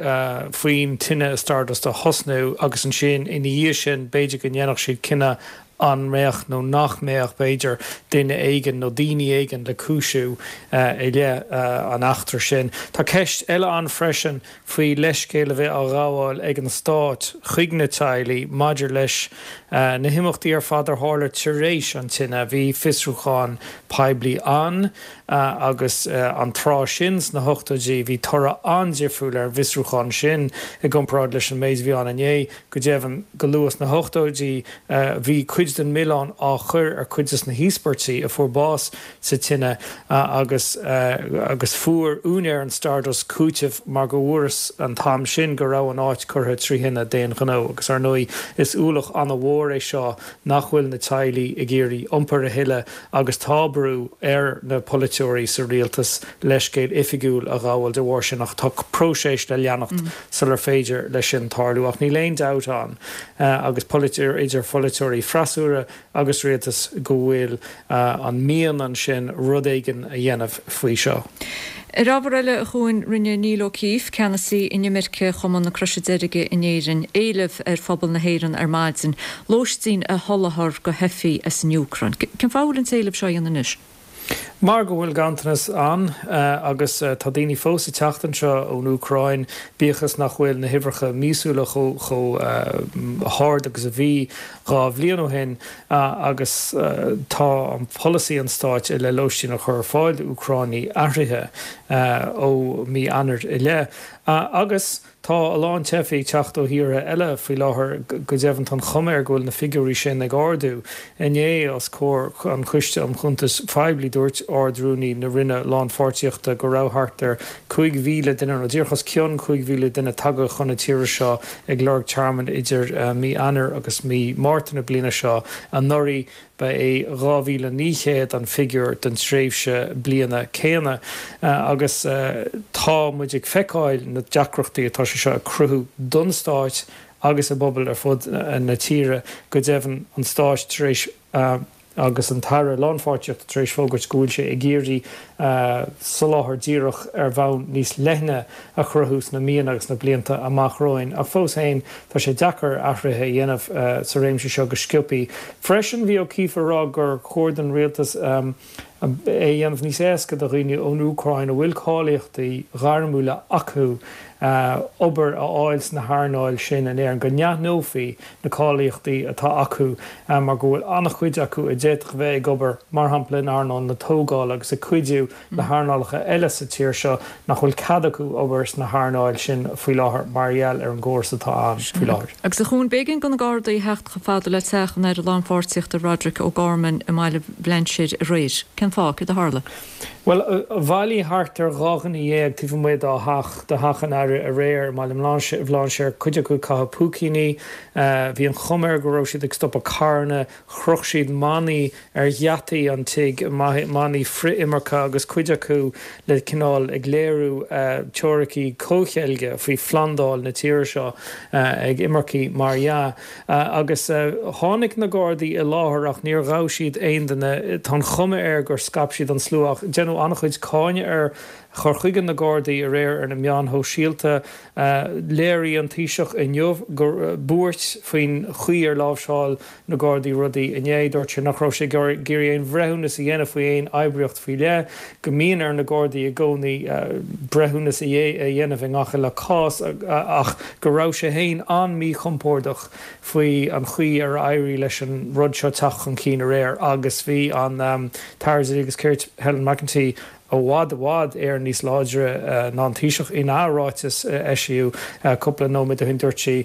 faoin tine i Stardust a thosnú agus ansin ina dhiaidh sin b'fhéidir go ndéanfadh siad cinneadh an mbeadh nó nach mbeadh, b'fhéidir, duine éigin nó daoine éigin le cúisiú i leith an eachtra sin. Tá ceist eile ann freisin faoi leithscéal a bheith á ghabháil ag an Stát chuig na teaghlaigh maidir leis na himeachtaí ar fad a tharla tar éis an tine. Bhí fiosrúchán poiblí ann agus an tráth sin sna hochtóidí bhí toradh an-difriúil ar an bhfiosrúchán sin i gcomparáid leis an méid a bhí ann inné. Go deimhin, go luath sna hochtóidí bhí cuid den milleán á chur ar chuid de na híospartaigh a fuair bás sa tine agus agus fuair úinéir an Stardust cúiteamh mar go bhfuarthas an t-am sin go raibh an áit curtha trí thine d'aon ghnó. Agus ar ndóigh is ualach an-mhór é seo nach bhfuil na teaghlaigh ag iarraidh iompar a thuilleadh agus tá brú ar na polaiteoirí sa rialtas leithscéal oifigiúil a ghabháil de bharr sin ach tá próiseas le leanacht sular féidir leis sin tarlú. Ach níl aon dabht ann agus idir pholaiteoirí freasúra agus rialtas go bhfuil an mian ansin rud éigin a dhéanamh faoi seo. Ar ábhar eile, a Chuain, rinne Neil O'Keeffe, ceannasaí inimirce Chumann na Croise Deirge in Éirinn, éileamh ar phobal na hÉireann ar maidin lóistín a sholáthar do theifigh as an Úcráin. Cén fáth a bhfuil an t-éileamh seo á dhéanamh anois? Mar go bhfuil ganntanas ann agus tá daoine fós ag teacht anseo ón Úcráin, bíodh is nach bhfuil na huimhreacha míosúla chomh hard agus a bhí dhá bhliain ó shin agus tá an polasaí an stáit i leith lóistín a chur ar fáil d'Úcránaigh athraithe ó mí Eanáir i leith. Agus tá a lán teifigh ag teacht ó thíortha eile faoi láthair, go deimhin tá an chuma air go bhfuil na figiúirí sin ag ardú. Inné, os comhair an Choiste um Chuntais Phoiblí, dúirt Ard-Rúnaí na Roinne Lánpháirtíochta go raibh thart ar cúig mhíle duine, nó díreach os cionn cúig mhíle duine tagtha chun na tíre seo ag lorg tearmainn idir mí Eanáir agus mí Márta na bliana seo anuraidh. Ba é dhá mhíle naoi chéad an figiúr don tréimhse bliana céanna agus tá muid ag feiceáil na deacrachtaí atá sé seo ag cruthú don Stát agus i bpobail ar fud na tíre. Go deimhin, an Stát tar éis agus an tAire Lánpháirtíochta tar éis fógairt go bhfuil sé ag iarraidh soláthar díreach ar bhonn níos leithne a chruthú sna míonna agus sna blianta amach romhainn. Ach fós féin, tá sé deacair athruithe a dhéanamh sa réimse seo go sciobtha. Freisin, bhí O'Keeffe ag rá gur chóir don rialtas é a dhéanamh níos éasca do dhaoine ón Úcráin a bhfuil cáilíochtaí gairmiúla acu obair a fháil sna hearnáil sin in Éirinn, go n-aithneofaí na cáilíochtaí atá acu mar go bhfuil an-chuid acu a d'fhéadfadh bheith ag obair, mar shampla, in earnáil na tógála agus ag cuidiú le hearnálacha eile sa tír seo nach bhfuil cead acu obair sna hearnáil sin faoi láthair mar gheall ar an gcóras atá ann faoi láthair. Agus a Chuain, b'éigean do na Gardaí theacht chomh fada le teach an Aire Lánpháirtíochta Roderic O'Gorman i mBaile Bhlainséir aréir. Cén fáth? Céard a tharla? Bhuel, bhailigh thart ar dhá dhuine dhéag taobh amuigh dá theach, de theach an Aire aréir i mBaile Bhlainséir, cuid acu ag caitheamh púicíní. Bhí an chuma air go raibh siad ag stopadh carranna. Chroch siad manaí ar gheataí an tigh, manaí frith-imirce agus cuid acu le cineál ag léiriú teoiricí comhcheilge faoi phlandáil na tíre seo ag imircigh mar dhea. Agus tháinig na Gardaí i láthair ach níor ghabh siad aon duine. Tá an chuma air gur scaip siad an slua ach deineadh an-chuid cáineadh ar chur chuige na Gardaí aréir ar na meáin shóisialta. Léirigh an Taoiseach inniu gur buairt faoin chaoi ar láimhseáil na Gardaí rudaí inné. Dúirt sé nach raibh sé ag iarraidh aon bhreithiúnas a dhéanamh faoi aon oibríocht faoi leith, go mbíonn ar na Gardaí i gcónaí breithiúnas a dhéanamh i ngach uile chás ach go raibh sé féin an-mhíchompordach faoi an chaoi ar éirigh leis an rud seo teacht chun cinn aréir agus bhí an tAire Dlí agus Cirt Helen McEntee i bhfad i bhfad Éireann níos láidre ná an Taoiseach. Ina ráiteas a eisíodh cúpla nóiméad ó shin dúirt sí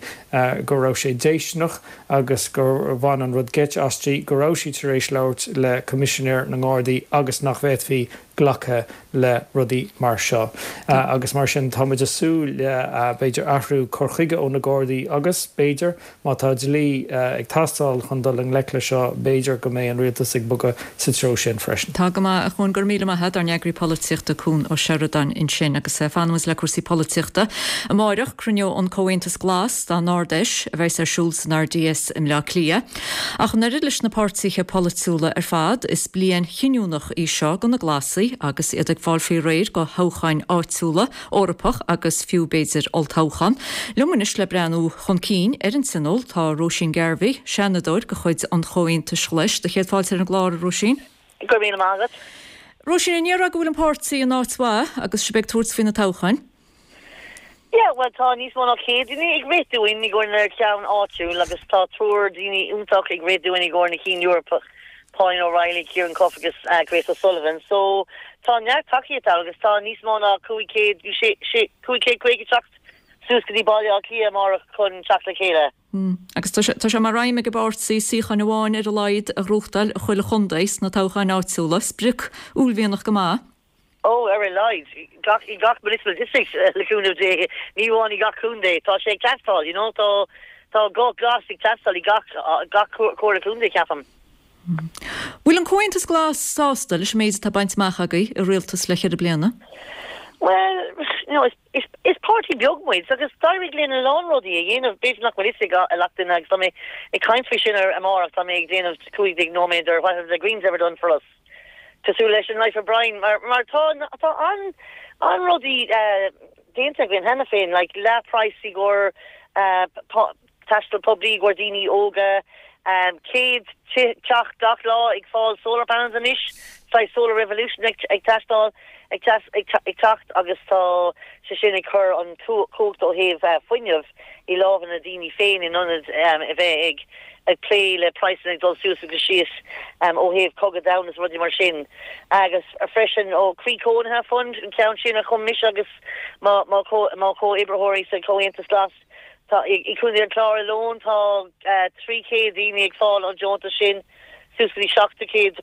go raibh sé déistineach agus gur bhain an rud geit aisti go raibh sí tar éis labhairt le Coimisinéir na nGardaí agus nach bhféadfaí glacadh le rudaí mar seo. Agus mar sin tá muid ag súil le b'fhéidir athrú cur chuige ó na Gardaí agus b'fhéidir má tá dlí ag teastáil chun dul i ngleic le seo b'fhéidir go mbeidh an rialtas ag bogadh sa treo sin freisin. Tá go maith, a Chuain, go raibh míle maith agat, ár n-eagraí polaitíochta Cuan Ó Seireadáin ansin. Agus fanfaimid le cúrsaí polaitíochta. Amáireach, cruinneoidh an Comhaontas Glas dá n-Ard-Fheis a bheas ar siúl san RDS i mBleá Cliath. Ach an oiread leis na páirtithe polaitiúla ar fad, is bliain chinniúnach í seo do na Glasaigh agus iad ag fáil faoi réir do thoghcháin áitiúla, Eorpach agus fiú b'fhéidir olltoghchán. Liom anois le breathnú chun cinn ar an Tionól tá Róisín Garvey, Seanadóir de chuid an Chomhaontais Ghlais. Do chéad fáilte ar an gclár, a Róisín. Go raibh míle maith agat. Róisín, an ndéarfá go bhfuil an páirtí in áit mhaith agus sibh ag tabhairt faoi na toghcháin? Yeah, bhuel tá níos mó ná céad duine ag rith dúinn i gcomhair na ceann áitiúil agus tá triúr daoine iontach ag rith dúinn i gcomhair na cinn Eorpach, Pauline O'Reilly, Ciarán Cuffe agus Grace O'Sullivan. So tá neart tacaíocht ann agus tá níos mó ná cúig chéad, sé, sé, cúig chéad caoga teacht suas go dtí Baile Átha Cliath amárach chun teacht le chéile. Agus tá sé, tá sé mar aidhm ag an bpáirtí suíochán amháin ar a laghad a ghnóthachtáil i chuile chontae sna toghcháin áitiúla, sprioc uaillmhianach go maith. Ó, ar a laghad, gach, i gach municipal district, le cúnamh Dé, ní amháin i gach contae, tá sé ag teastáil, you know, tá, tá guth glas ag teastáil i gach, gach comhairle contae, ceapaim. Bhfuil an Comhaontas Glas sásta leis an méid atá bainte amach agaibh i rialtas le ceithre bliana? Bhuel, you know, is, is, is páirtí beag muid agus d'éirigh linn a lán rudaí a dhéanamh, b'fhéidir nach bhfuil fhios ag a lucht duine agus tá mé ag caint faoi sin ar amárach, tá mé ag déanamh cúig déag nóiméad ar What have the Greens ever done for us? cosúil leis an Life of Brian mar mar tá tá an an rudaí déanta againn cheana féin like leath price i gcomhair taisteal poiblí i gcomhair daoine óga céad teach gach lá ag fáil solar panels anois saghas solar revolution ag ag teastáil ag ag teacht agus tá sé sin ag cur an cumhacht ó thaobh fuinneamh i lámha na daoine féin in ionad a bheith ag ag plé le praghsanna ag dul suas agus síos ó thaobh cogadh domhanda is rudaí mar sin. Agus freisin ó Croí Cónaithe Fund, an ceann sin a chum mise agus mo mo mo chomhoibritheoirí sa Chomhaontas Glas. Tá i i Contae an Chláir alone tá trí chéad daoine ag fáil an deontas sin, suas go dtí seacht céad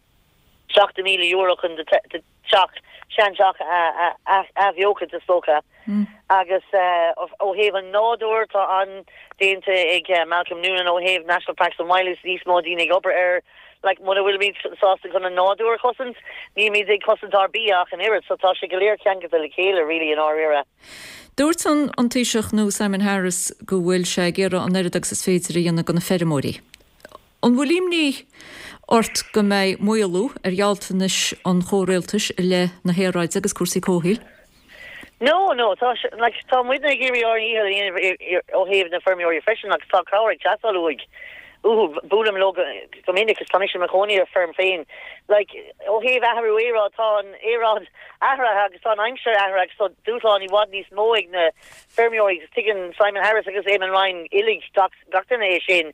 seachtó míle euro chun do teach, seanteach a athbheochan is dócha. Agus ó thaobh an nádúir, tá an-déanta ag Malcolm Noonan ó thaobh National Parks and Wildlife, níos mó daoine ag obair air. Like, muna bhfuilimid sásta chun an nádúr a chosaint, nílimid ag cosaint ár bia ach an oiread, so tá sé go léir ceangailte le chéile really i ndáiríre. Dúirt an Taoiseach nua Simon Harris go bhfuil sé ag iarraidh an oiread agus is féidir a dhéanamh do na feirmeoirí. An bhfuil imní ort go mbeidh maolú ar ghealltanais an chomhrialtais i leith na haeráide agus cúrsaí comhshaoil? No, no, tá, like, tá muidne ag iarraidh ár ndícheall a dhéanamh ó thaobh na feirmeoirí freisin agus tá cabhair ag teastáil uaidh, uathu. Buailim leo go minic agus tá mise i mo chónaí ar feirm féin. Like, ó thaobh athrú aeráid, tá an aeráid athraithe agus tá an aimsir athraithe agus tá dúshlán i bhfad níos mó ag na feirmeoirí agus tuigeann Simon Harris agus Eamon Ryan uilig gach gach duine é sin.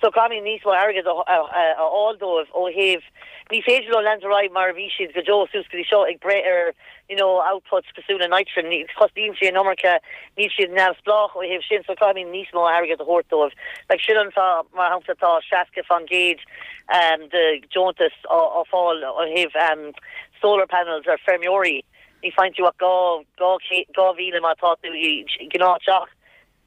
So caithfimid níos mó airgead a a fháil dóibh ó thaobh ní féidir leo leanúint ar aghaidh mar a bhí siad go deo suas go dtí seo ag breith ar you know, outputs cosúil le nitrogen, cosnaíonn sé an iomarca, níl siad neamhspleách ó thaobh sin, so caithfimid níos mó airgead a thabhairt dóibh. Like sin an fáth, mar shampla, tá seasca faoin gcéad um, de deontas á, á fáil ó thaobh um, solar panels ar feirmeoirí. Ní faigheann tú ach dhá, dhá, dhá mhíle má tá tú i gnáth-teach.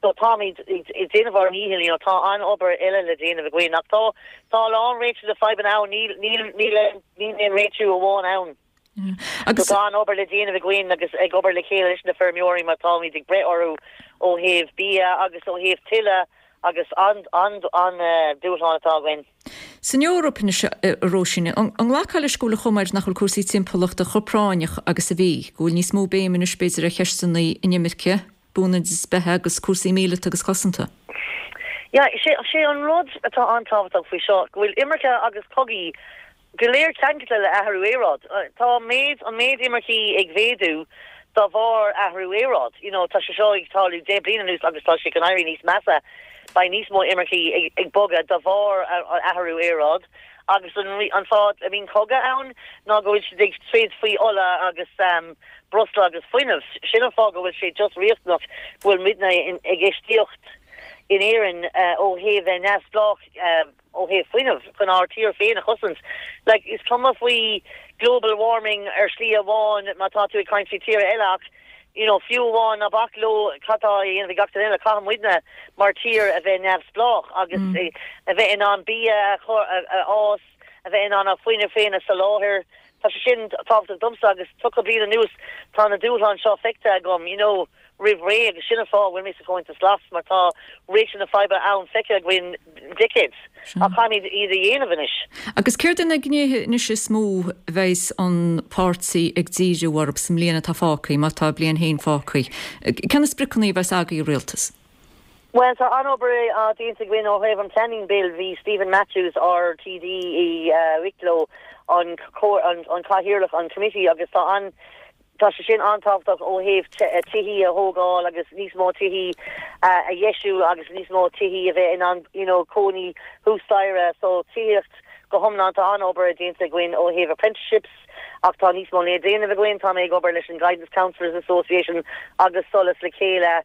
So táimid ag déanamh ár ndícheall, you know, tá an-obair eile le déanamh againn ach tá, tá a lán réiteach de fadhbanna ann, níl, níl, níl, níl aon réitiú amháin ann. Agus tá an-obair le déanamh againn agus ag obair le chéile leis na feirmeoirí mar táimid ag breith orthu ó thaobh bia agus ó thaobh tuile agus an, an, an dúshlán atá againn. San Eoraip anois, a Róisín, an nglacfá leis go bhfuil an chuma air nach bhfuil cúrsaí timpeallachta chomh práinneach agus a bhí, go bhfuil níos mó béim anois b'fhéidir ar cheisteanna inimirce, buanneodas beatha agus cúrsaí míleata agus cosanta? Yeah, sé, sé an rud atá an-tábhachtach faoi seo, go bhfuil imirce agus cogaí go léir ceangailte le athrú aeráid. Tá méid, an méid imircí ag mhéadú dá bharr athrú aeráid. You know, tá sé seo ag tarlú deich bliana anuas agus tá sé chun éirí níos measa. Beidh níos mó imircí ag, ag bogadh dá bharr athrú aeráid. Agus an, an fáth a mbíonn cogadh ann ná go bhfuil siad ag troid faoi ola agus um, breosla agus fuinneamh. Sin an fáth go bhfuil sé just riachtanach go bhfuil muidne in, ag infheistíocht in Éirinn uh, ó thaobh bheith neamhspleách uh, ó thaobh fuinneamh chun ár tír féin a chosaint. Like, is cuma faoi global warming ar shlí amháin má tá tú ag caint faoi tír eile ach you know, fiú amháin ná bac leo cad tá á dhéanamh ag gach duine eile caithfidh muidne mar tír a bheith neamhspleách agus mm. a bheith in ann bia a chur a, a fhás, a bheith in ann ár fuinneamh féin a soláthar. Tá sé sin tábhachtach domsa agus tríocha bliain anuas tá na dúshláin seo feicthe agam, you know, roimh ré agus sin an fáth a bhfuil mé sa Chomhaontas Glas mar tá réiteach na faidhbe ann feicthe againn decades ach caithfimid iad a dhéanamh anois. Agus céard iad na gnéithe anois is mó a bheas an páirtí ag díriú orthu sa mbliain atá fágtha, má tá bliain féin fágtha? Cé na spriocanna a bheas agaibh i rialtas? Well tá an-obair á déanta againn ó thaobh an Planning Bill bhí Stephen Matthews ár TD i uh, Wicklow an an, an cathaoirleach an committee agus tá an tá sé sin an-tábhachtach ó thaobh tithe a thógáil agus níos mó tithe a dheisiú agus níos mó tithe a bheith in ann you know, cónaí thuas staighre so tithíocht go hiomlán tá an-obair déanta againn ó thaobh apprenticeships ach tá níos mó le déanamh againn tá mé ag obair leis an Guidance Counsellors Association agus Solas le chéile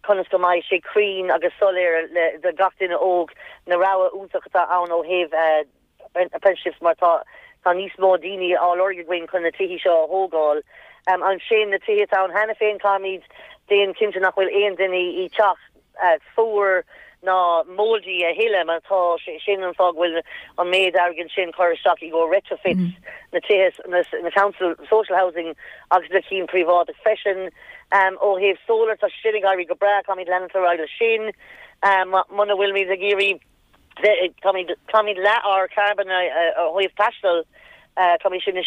conas go mbeidh sé cruinn agus soiléir le do gach duine óg na rogha iontach atá ann ó thaobh uh, apprenticeships mar tá tá níos mó daoine á lorg againn chun na tithe seo a thógáil. Um, ansin na tithe atá ann cheana féin caithfimid déanamh cinnte nach bhfuil aon duine i teach uh, fuar ná moldy a thuilleadh mar tá sin an fáth go bhfuil an méid airgid sin chur isteach i go retrofits mm. na tithe na, na council social housing agus na cinn príobháideach freisin um, ó thaobh solar tá sin ag éirí go breá caithfimid leanúint ar aghaidh sin um, muna bhfuilimid ag iarraidh Caithfimid leath ár carbon ó thaobh taisteal caithfimid sin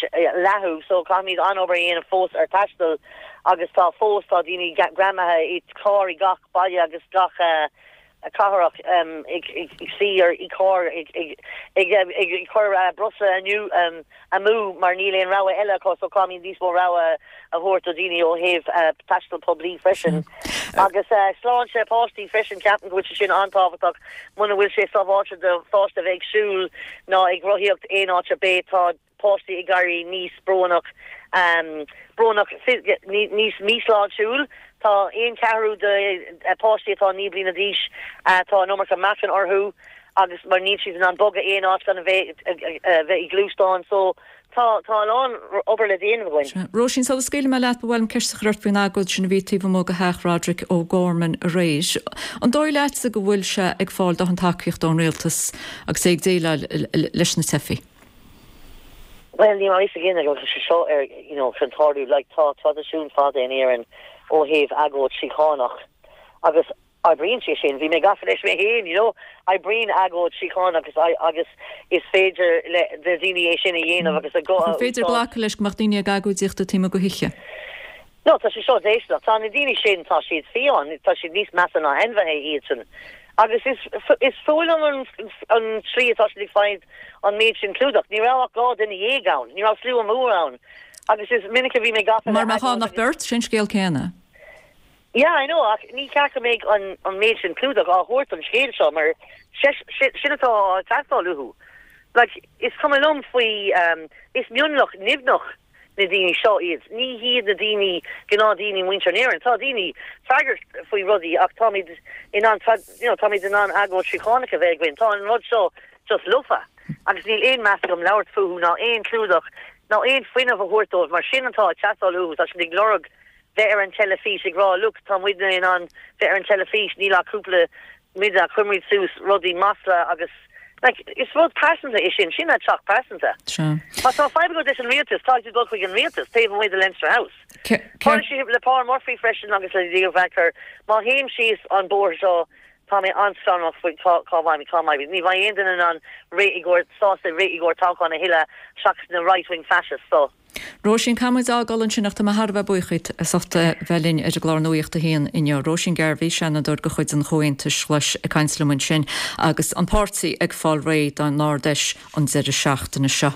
leathú, so caithfimid an-obair a dhéanamh fós ar taisteal agus tá fós tá daoine greamaithe i carr i gach baile agus gach cathrach ag suí ar i carr ag cur breosla amú mar níl aon rogha eile acu so caithfimid níos mó rogha a thabhairt do dhaoine ó thaobh taisteal poiblí freisin. Agus sláinte páistí freisin ceapaim go bhfuil sé sin an-tábhachtach muna bhfuil sé sábháilte do pháiste bheith ag siúl ná ag rothaíocht aon áit ar bith tá páistí ag éirí níos brónach um, brónach níos míshláintiúil tá aon ceathrú de páistí atá naoi bliana d'aois tá an iomarca meáchan orthu agus mar níl siad in ann bogadh aon áit gan a bheith bheith i ngluaisteán so tá tá a lán obair le déanamh againn. Róisín, sula scaoilfidh mé leat ba mhaith liom ceist a chur ort faoin agóid sin a bhí taobh amuigh de theach Roderic O'Gorman aréir. An dóigh leatsa go bhfuil sé ag fáil dóthain tacaíocht ón rialtas agus é ag déileáil leis na teifigh? Well ní mar is again go sé seo ar you know chun tarlú like tá traidisiún fada in Éirinn ó thaobh agóid síochánach agus oibríonn sé sin bhí mé gafa leis mé féin you know oibríonn agóid síochánach agus agus is féidir le de daoine é sin a dhéanamh agus a go An féidir glacadh leis go mbeadh daoine ag agóidíocht taobh amuigh de thithe? No tá sé seo déisteach tá na daoine sin tá siad fiáin tá siad níos measa ná ainmhithe iad sin Agus is is fuath liom an an tslí atá siad ag fáil an méid sin clúdach. Ní raibh ach dhá duine dhéag ann, ní raibh slua mór ann. Agus is minic a bhí mé gafa le Mar má tá nach beirt, sin scéal céanna. Yeah, I know, ach ní ceart go mbeidh an an méid sin clúdach á thabhairt don scéal seo mar sin atá á teastáil uathu. Like, is cuma liom faoi, um, is mionlach nimhneach na daoine seo iad. Ní hiad na daoine, gnáthdhaoine muintir na hÉireann. Tá daoine freagrach faoi rudaí ach táimid in ann, you know, táimid in ann agóid síochánach a bheith againn. Tá an rud seo just lofa agus níl aon meas agam labhairt fúthu ná aon chlúdach ná aon fuinneamh a thabhairt dóibh mar sin atá ag teastáil uathu. Tá siad ag lorg bheith ar an teilifís ag rá look tá muidne in ann bheith ar an teilifís níl ach cúpla muid a chuirimid suas rudaí masla agus like is rud pearsanta é sin, sin attack pearsanta. Sea. Má tá fadhb agat leis an rialtas, caithfidh tú dul chuig an rialtas taobh amuigh de Leinster House. Tharla sé le Paul Murphy freisin agus le Leo Varadkar, má théim síos an bóthar seo tá mé an-scanrach faoi cá cá mbeidh cá mbeidh. Ní bheidh aon duine in ann rith i gcomhair sásta rith i gcomhair toghchán a thuilleadh seachas na right-wing fascists so. Róisín, caithfidh muid a fhágáil ansin ach tá mé thar a bheith buíoch díot as ucht a bheith linn ar an gclár Nuacht a hAon inniu. Róisín Garvey, Seanadóir de chuid an Chomhaontais Ghlais ag caint liom ansin agus an páirtí ag fáil réidh don Ard-Fheis an deireadh seachtaine seo.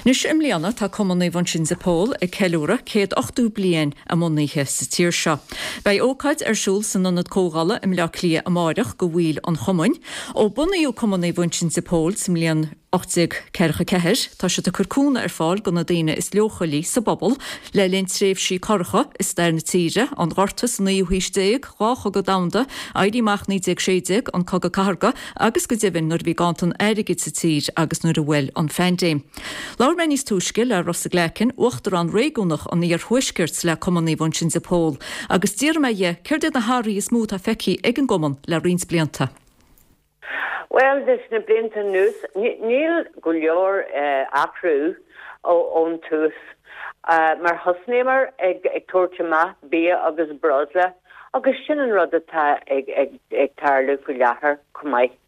Anois i mbliana tá Cumann Naomh Uinseann de Pól ag ceiliúradh céad ochtó bliain a mbunaithe sa tír seo. Beidh ócáid ar siúl san Ionad Comhdhála i mBleá Cliath amáireach do bhaill an chumainn. Ó bunaíodh Cumann Naomh Uinseann de Pól sa mbliain ocht déag ceathracha ceathair, tá siad ag cur cúnamh ar fáil do na daoine is leochailí sa bpobal le linn tréimhsí corracha i stair na tíre, an Gorta sa naoú haois déag, dhá chogadh domhanda, Éirí Amach naoi déag sé déag, an Cogadh Cathartha agus go deimhin nuair a bhí ganntan airgid sa tír agus nuair a bhuail an phaindéim. Labhair mé níos túisce le Rossa Glackin, Uachtarán Réigiúnach an Iarthuaiscirt le Cumann Naomh Uinseann de Pól, agus d'iarr mé dhe céard iad na hathruithe is mó atá feicthe ag an gcumann le roinnt blianta. Bhuel, leis na blianta anuas, níl go leor athrú ón tús. Mar thosnaíomar ag tabhairt amach bia agus breosla agus sin an rud atá ag tarlú faoi láthair chomh maith.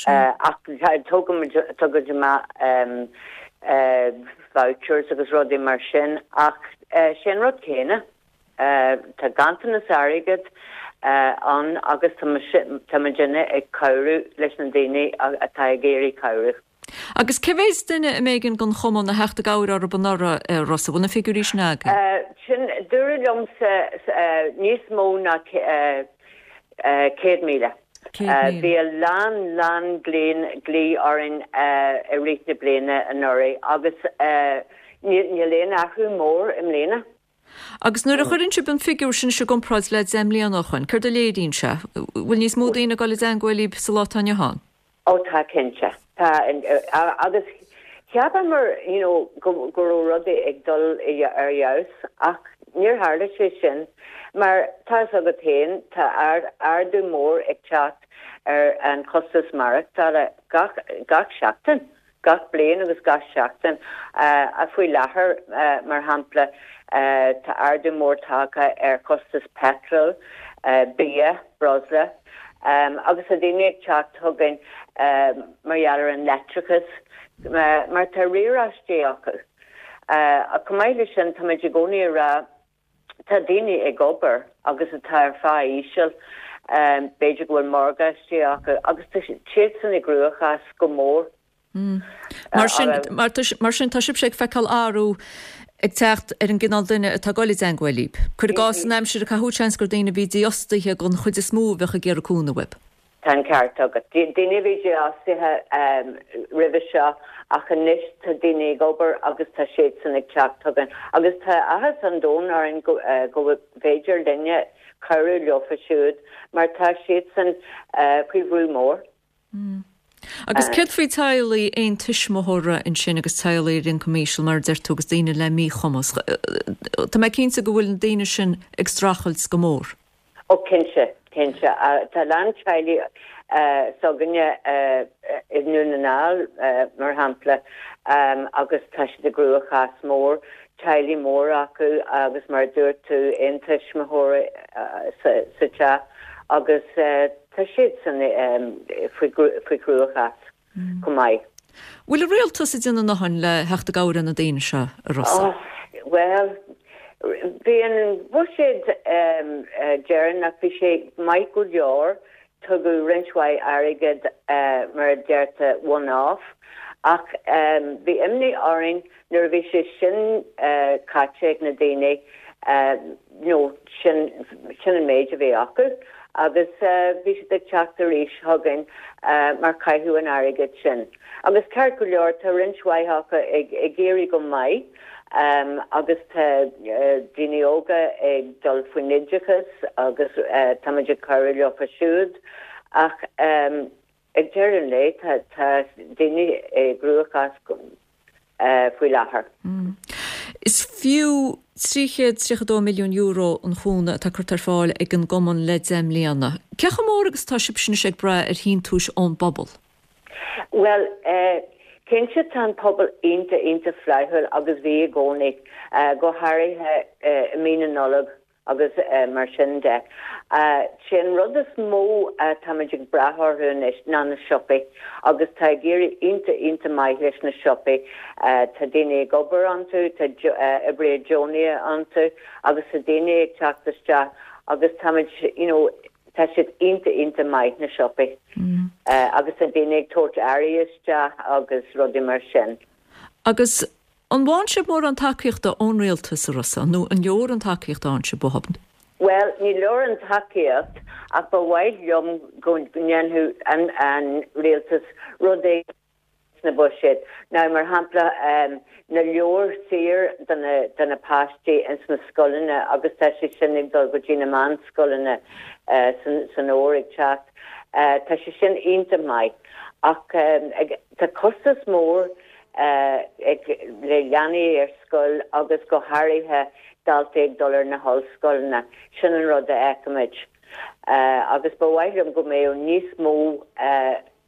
Ach tugaimid tugaimid amach vouchers agus rudaí mar sin ach sin rud céanna. Tá ganntanas airgid ann agus tá muidinne ag cabhrú leis na daoine atá ag iarraidh cabhrú. Agus cé mhéad duine a mb'éigean don chumann a theacht i gcabhair orthu anuraidh, a Rossa? Bhfuil na figiúirí sin agaibh? Sin, dúradh liomsa níos mó ná céad míle. Bhí a lán, lán glaoch orainn i rith na bliana anuraidh agus níl aon athrú mór i mbliana. Agus nuair a chuireann sibh an figiúr sin i gcomparáid le deich mbliana ó shoin, céard a léiríonn sé? Bhfuil níos mó daoine ag dul i dteangmháil libh sa lá atá inniu ann? Ó tá cinnte. Tá agus cheapamar you know go go raibh rudaí ag dul ar fheabhas ach níor tharla sé sin mar tá a fhios agat féin tá ardú mór ag teacht ar an chostas maireachtála gach gach seachtain. gach bliain agus gach seachtain. Faoi láthair, mar shampla, tá ardú mór tagtha ar chostas peitril, bia, breosla, agus tá daoine ag teacht chugainn mar gheall ar an leictreachas, mar tá riaráistí acu. Chomh maith leis sin, táimid i gcónaí ag rá, Tá daoine ag obair agus atá ar phá íseal, b'fhéidir go bhfuil morgáistí acu agus tá siadsan i gcruachás go mór. Mar sin, mar sin tá sibhse ag feiceáil athrú ag teacht ar an gcineál duine atá ag dul i dteangmháil libh. Cuir i gcás, san aimsir a caitheadh seans gur daoine a bhí dífhostaithe den chuid is mó a bheadh ag iarraidh cúnamh uaibh. Tá an ceart agat. Daoine a bhí dífhostaithe roimhe seo ach anois tá daoine ag obair agus tá siadsan ag teacht chugainn. Agus tá áthas an domhain orainn go bhféidir linne cabhrú leofa siúd mar tá siadsan faoi bhrú mór. Agus céard faoi teaghlaigh aon tuismitheora ansin agus teaghlaigh ar ioncam íseal mar a deir tú agus daoine le míchumas? Tá mé cinnte go bhfuil na daoine sin ag streachailt go mór. Ó cinnte, cinnte. Tá a lán teaghlaigh s'againne i nDún na nGall, mar shampla, agus tá siad i gcruachás mór, teaghlaigh móra acu agus mar a dúirt tú, aon tuismitheoir sa teach agus tá siadsan faoi chruachás chomh maith. Bhfuil an rialtas ag déanamh a ndóthain le theacht i gcabhair ar na daoine seo, a Rossa? Bhuel, bhí an buiséad deireanach, bhí sé maith go leor. Tugadh roinnt mhaith airgid mar a deirtear one off ach bhí imní orainn nuair a bhí sé sin caite ag na daoine you know sin sin an méid a bhí acu agus bhí siad ag teacht arís chugainn mar caitheadh an airgead sin. Agus ceart go leor tá roinnt mhaith acu ag ag éirí go maith agus tá daoine óga ag dul faoin oideachas agus táimid ag cabhrú leofa siúd ach ag deireadh an lae tá tá daoine i gcruachás faoi láthair. Is fiú trí chéad tríocha dó milliún euro an cúnamh atá curtha ar fáil ag an gcumann le deich mbliana. Cé chomh mór agus atá sibhse anois ag brath ar shíntiúis ón bpobal? Bhuel, cinnte tá an pobal iontach iontach flaithiúil agus bhí i gcónaí, go háirithe i mí na Nollag agus mar sin de. Sé an rud is mó atáimid ag brath orthu anois ná na siopaí agus tá ag éirí iontach iontach maith leis na siopaí. Tá daoine ag obair iontu, tá oibrithe deonacha iontu agus tá daoine ag teacht isteach agus táimid you know tá siad iontach iontach maith na siopaí agus tá daoine ag tabhairt earraí isteach agus rudaí mar sin. Agus an bhfaigheann sibh mórán tacaíochta ón rialtas, a Rossa, nó an leor an tacaíocht a fhaigheann sibh uathu? Bhuel, ní leor an tacaíocht ach ba mhaith liom go ndéanfadh an an rialtas rud éigin sna buiséid. Now, mar shampla, na leabhair saor do na do na páistí ins na scoileanna agus tá sé sin ag dul go dtí na meánscoileanna san san fhómhar ag teacht. Tá sé sin iontach maith ach tá costas mór ag le leanaí ar scoil agus go háirithe daltaí ag dul ar na hollscoileanna. Sin an rud a fheicimid. Agus ba mhaith liom go mbeadh níos mó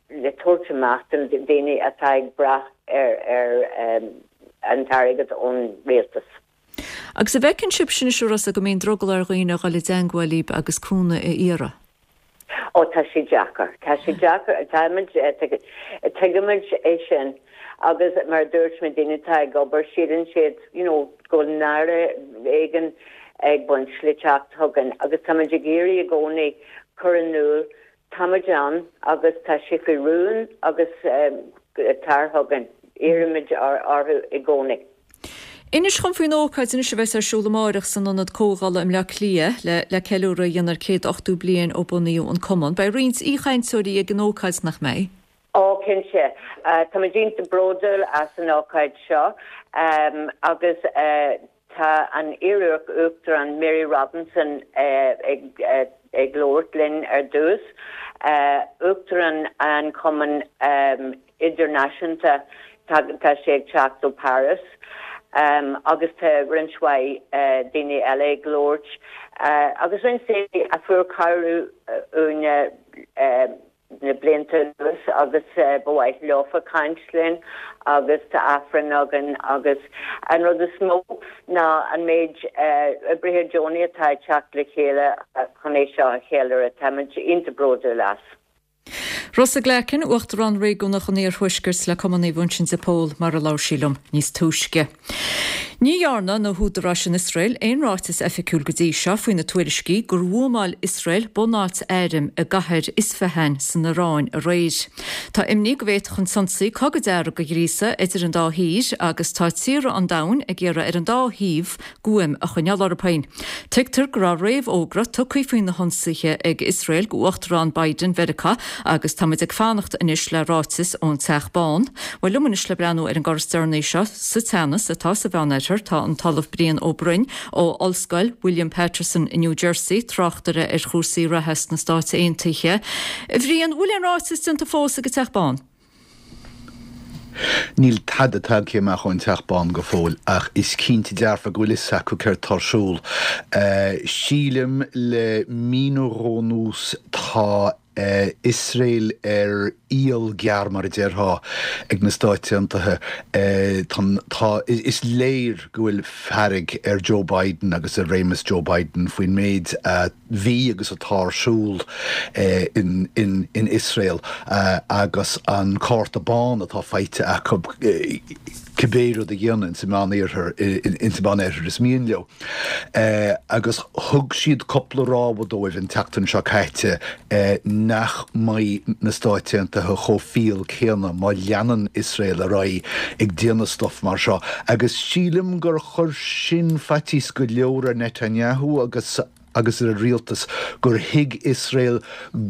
le tabhairt amach do na daoine atá ag brath ar ar an t-airgead ón rialtas. Agus an bhfeiceann sibhse anois, a Rossa, go mbíonn drogall ar dhaoine a dhul i dteangmháil libh agus cúnamh a iarraidh? Ó tá sé deacair. Tá sé deacair. Táimid, tuigimid é sin agus mar a dúirt mé daoine atá ag obair síleann siad you know go bhfuil náire éigin ag baint le teacht chugainn agus táimid ag iarraidh i gcónaí cur in iúl táimid ann agus tá sé faoi rún agus tar chugainn. Iarraimid orthu i gcónaí. Inis dhom faoin ócáid anois a bheas ar siúl amáireach san Ionad Comhdhála i mBleá Cliath le le ceiliúradh a dhéanamh ar céad ochtó bliain ó bunaíodh an Cumann. Beidh roinnt aoichainteoirí ag an ócáid, nach mbeidh? Ó, cinnte. Táimid iontach bródúil as an ócáid seo agus tá an iar-Uachtarán Mary Robinson ag ag labhairt linn ar dtús, Uachtarán an Chumainn Idirnáisiúnta, tá sé ag teacht ó Paris agus tá roinnt mhaith daoine eile ag labhairt agus roinnt daoine a fuair cabhrú uainne na blianta anuas agus ba mhaith leofa caint linn agus tá Aifreann againn agus an rud is mó ná an méid oibrithe deonaí atá ag teacht le chéile chun é seo a cheiliúradh. Táimid iontach bródúil as. Rossa Glackin, Uachtarán Réigiúnach an Iarthuaiscirt le Cumann Naomh Uinseann de Pól mar a labhair sí liom níos túisce. Ní dhearna na húdaráis in Iosrael aon ráiteas oifigiúil go dtí seo faoi na tuairiscí gur bhuamáil Iosrael bunáit airm i gcathair Isfahan san Iaráin aréir. Tá imní go bhféadfadh an t-ionsaí cogadh dearg a ghríosadh idir an dá thír agus tá tíortha an domhain ag iarraidh ar an dá thaobh guaim a choinneáil orthu féin. Tuigtear go raibh réamhfhógra tugtha faoi na hionsaithe ag Iosrael go Uachtarán Biden Mheiriceá agus táimid ag fanacht anois le ráiteas ón Teach Bán. Bhuel liom anois le breathnú ar an gcor is deireanaí seo sa teannas atá sa Mheánoirthear tá an tOllamh Brian Ó Broin ó Ollscoil William Paterson i New Jersey, tráchtaire ar chúrsaí reatha sna Stáit Aontaithe. A Bhriain, bhfuil aon ráiteas déanta fós ag an Teach Bán? Níl tada tagtha amach ón Teach Bán go fóill ach is cinnte dearfa go bhfuil fhios acu céard tá ar siúl. Sílim le mí nó dhó anuas tá Iosrael ar iall gearr mar a déarfá ag na Stáit Aontaithe. Tá, is léir go bhfuil fearg ar Joe Biden agus ar réimeas Joe Biden faoin méid a bhí agus atá ar siúl in Iosrael agus an cárta bán atá faighte acu. cibé rud a dhéanamh insa Meánoirthear, insa Mheánoirthear is mian leo. Agus thug siad cúpla rabhadh dóibh an tseachtain seo caite nach mbeidh na Stáit Aontaithe chomh fial céanna má leanann Iosrael ar aghaidh ag déanamh stuif mar seo. Agus sílim gur chuir sin faitíos go leor ar Netanyahu agus agus ar a rialtas gur thuig Iosrael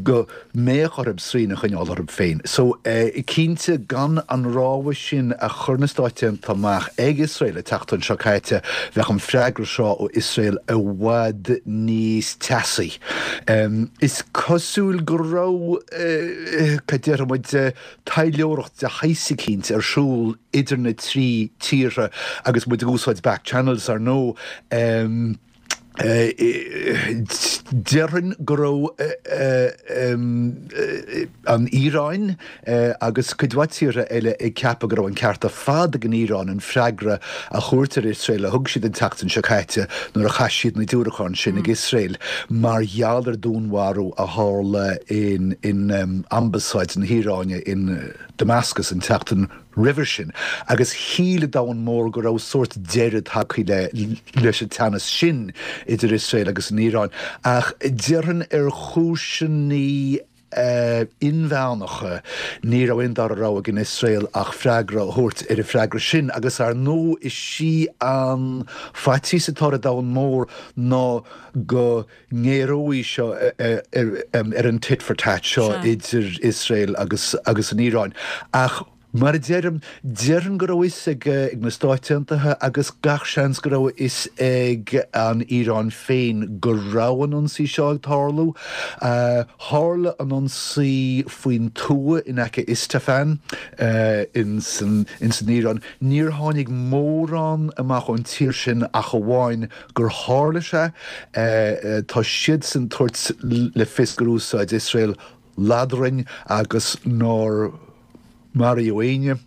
go mbeadh orthu srian a choinneáil orthu féin. So, cinnte, gan an rabhadh sin a chuir na Stáit Aontaithe amach ag Iosrael an tseachtain seo caite, bheadh an freagra seo ó Iosrael i bhfad níos teasaí. Is cosúil go raibh, cad déarfaidh muid, taidhleoireacht de shaghas eicínt ar siúl idir na trí tíortha agus muid ag úsáid back channels, ar ndóigh. Déarfainn go raibh an Iaráin agus cuid mhaith tíortha eile ag ceapadh go raibh an ceart ar fad ag an Iaráin an freagra a thabhairt ar Iosrael a thug siad an tseachtain seo caite nuair a chaith siad na diúracáin sin ag Iosrael mar gheall ar dúnmharú a tharla in ambasáid na hIaráine in Damascus an tseachtain roimhe sin, agus shíl an domhan mór go raibh sórt deireadh tagtha leis an teannas sin idir Iosrael agus an Iaráin. Ach déarfainn ar chúiseanna inmheánacha, ní raibh aon dara rogha ag an Iosrael ach freagra a thabhairt ar an freagra sin, agus ar ndóigh is í an faitíos atá ar an domhan mór ná go ngéaróidh seo ar an tit for tat seo idir Iosrael agus agus an Iaráin. Ach mar a deirim, déarfainn go raibh fhios ag ag na Stáit Aontaithe agus gach seans go raibh fhios ag an Iaráin féin go raibh an ionsaí seo ag tarlú. Tharla an ionsaí faoin tuath in aice Isfahan ins an ins an Iaráin. Níor tháinig mórán amach ón tír sin ach amháin gur tharla sé. Tá siadsan ag tabhairt le fios gur úsáid Iosrael ladrainn agus nár maraíodh éinne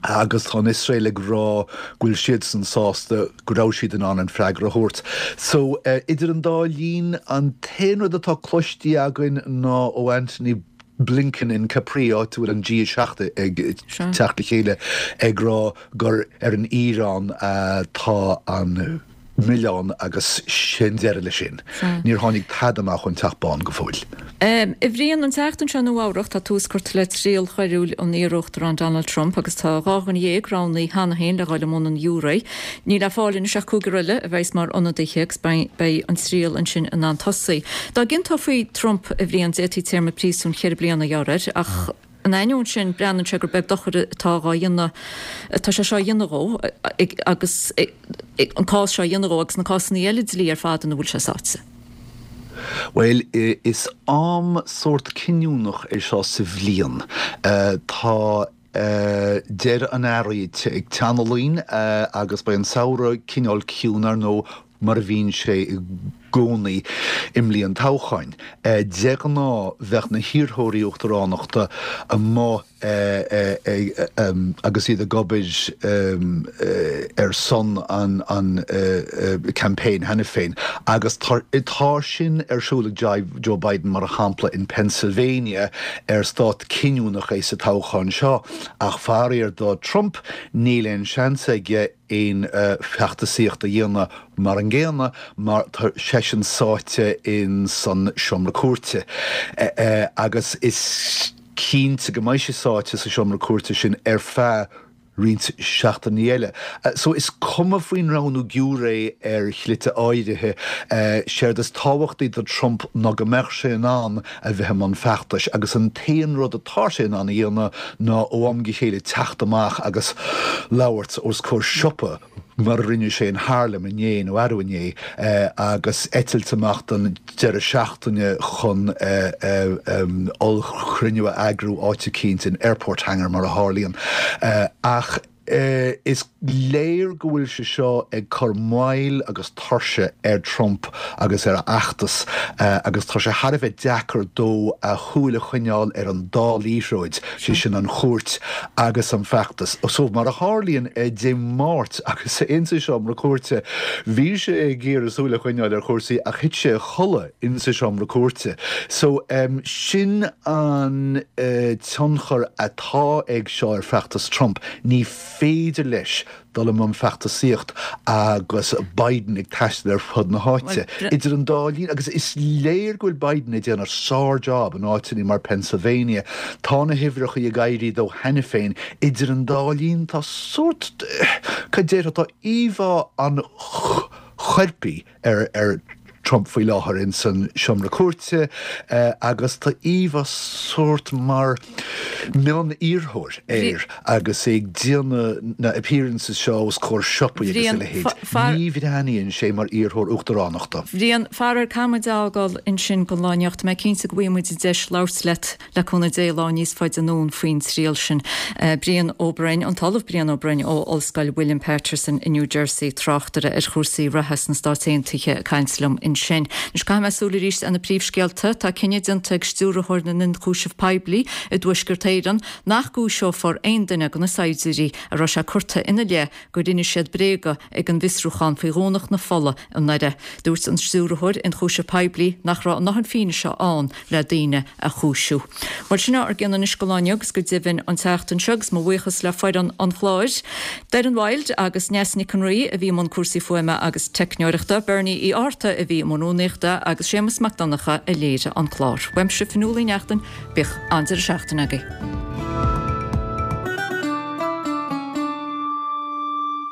agus tá an Iosrael ag rá go bhfuil siadsan sásta go raibh siad in ann an freagra a thabhairt. So, idir an dá linn, an t-aon rud atá cloiste againn ná ó Antony Blinken in Capri, áit a bhfuil an G a seacht ag teacht le chéile, ag rá gur ar an Iaráin atá an milleán agus sin deireadh leis sin. Níor tháinig tada amach ón Teach Bán go fóill. A Bhriain, an tseachtain seo i Nua Eabhrac tá tús curtha le triail choiriúil an iar-Uachtaráin Donald Trump agus tá dhá dhuine dhéag roghnaithe cheana féin le dhul i mbun an ghiúiré. Níl le fáil anois ach cúigear eile a bheas mar ionadaithe agus beidh an triail ansin in ann tosaí. Dá gciontófaí Trump, a Bhriain, d'fhéadfaí téarma príosúin cheithre bliana a ghearradh air ach in ainneoin sin breathnaíonn sé gur beag dochar atá dhá dhéanamh atá sé seo a dhéanamh dhó agus an cás seo a dhéanamh dhó agus na cásanna eile dlí ar fad ina bhfuil sé sáite. Bhuel, is am sórt cinniúnach é seo sa bhliain. Tá deireadh an earraigh ag teannadh linn agus beidh an samhradh cineál ciúin, ar ndóigh, mar a bhíonn sé i gcónaí i mbliain toghcháin. De ghnáth, bheadh na hiarrthóirí uachtaránachta amuigh agus iad ag obair ar son an campaign cheana féin agus tá sin ar siúl ag Joe Biden mar shampla in Pennsylvania ar stát cinniúnach é sa toghchán seo ach faraor do Trump níl aon seans aige aon feachtasaíocht a dhéanamh mar an gcéanna mar tá seisean sáite in san seomra cúirte agus is cinnte go mbeidh sé sáite sa seomra cúirte sin ar feadh roinnt seachtainí eile. So is cuma faoin roghnú giúiré ar shlite áirithe, séard is tábhachtaí do Trump ná go mbeadh sé in ann a bheith i mbun feachtais agus an t-aon rud atá sé in ann a dhéanamh ná ó am go chéile teacht amach agus labhairt os comhair siopa mar a rinne sé in Harlem inné nó arú inné agus eitilt amach don deireadh seachtaine chun ollchruinniú a eagrú áit eicínt in airport hangar mar a tharlaíonn. Ach is léir go bhfuil sé seo ag cur moill agus tuirse ar Trump agus ar a fheachtas agus tá sé thar a bheith deacair dó a shúil a choinneáil ar an dá liathróid, sé sin an chúirt agus an feachtas. So mar a tharlaíonn Dé Máirt agus é insa seomra cúirte, bhí sé ag iarraidh súil a choinneáil ar chúrsaí ach thit sé a chodladh insa seomra cúirte. So sin an tionchar atá ag seo ar feachtas Trump. Ní féidir leis dul i mbun feachtasaíocht agus Biden ag taisteal ar fud na háite idir an dá linn agus is léir go bhfuil Biden ag déanamh sár-job in áiteanna mar Pennsylvania. Tá na huimhreacha ag éirí dó cheana féin. Idir an dá linn tá sórt, cad déarfá, tá íomhá an choirpigh ar ar Trump faoi láthair in san seomra cúirte agus tá íomhá sórt mar mion-iarrthóir air agus é ag déanamh na appearances seo os comhair siopaí agus a leithéid. Ní bhreathnaíonn sé mar iarrthóir uachtaránachta. Bhriain, faraor caithfidh muid é a fhágáil ansin don lá inniu. Tá mé cinnte go bhfaighidh muid deis labhairt leat le cúnamh Dé lá níos faide anonn faoin triail sin. Brian Ó Broin, an tOllamh Brian Ó Broin ó Ollscoil William Paterson i New Jersey, tráchtaire ar chúrsaí reatha sna Stáit Aontaithe ag caint liom ansin. Anois caithfidh mé súil arís ar na príomhscéalta. Tá cinneadh déanta ag Stiúrthóir na nIonchúiseamh Poiblí i dTuaisceart Éireann nach gcúiseofar aon duine de na saighdiúirí a raibh sé curtha ina leith gur inis siad bréaga ag an bhfiosrúchán faoi Dhomhnach na Fola i nDoire. Dúirt an Stiúrthóir Ionchúiseamh Poiblí nach raibh a ndóthain fianaise ann le daoine a chúisiú. Bhuel, sin ár gcion anois don lá inniu agus go deimhin an tseachtain seo agus mo bhuíochas le foireann an chláir, Doireann Wild agus Neasa Nic an Rí a bhí i mbun cúrsaí fuaime agus teicneoireachta, Bernie Uí Fhátharta a bhí i mbun rúnaíochta agus Séamus Mac Donncha a léirigh an clár. Uaimse Fionnuala Uí Neachtain, bíodh an-deireadh seachtaine agaibh.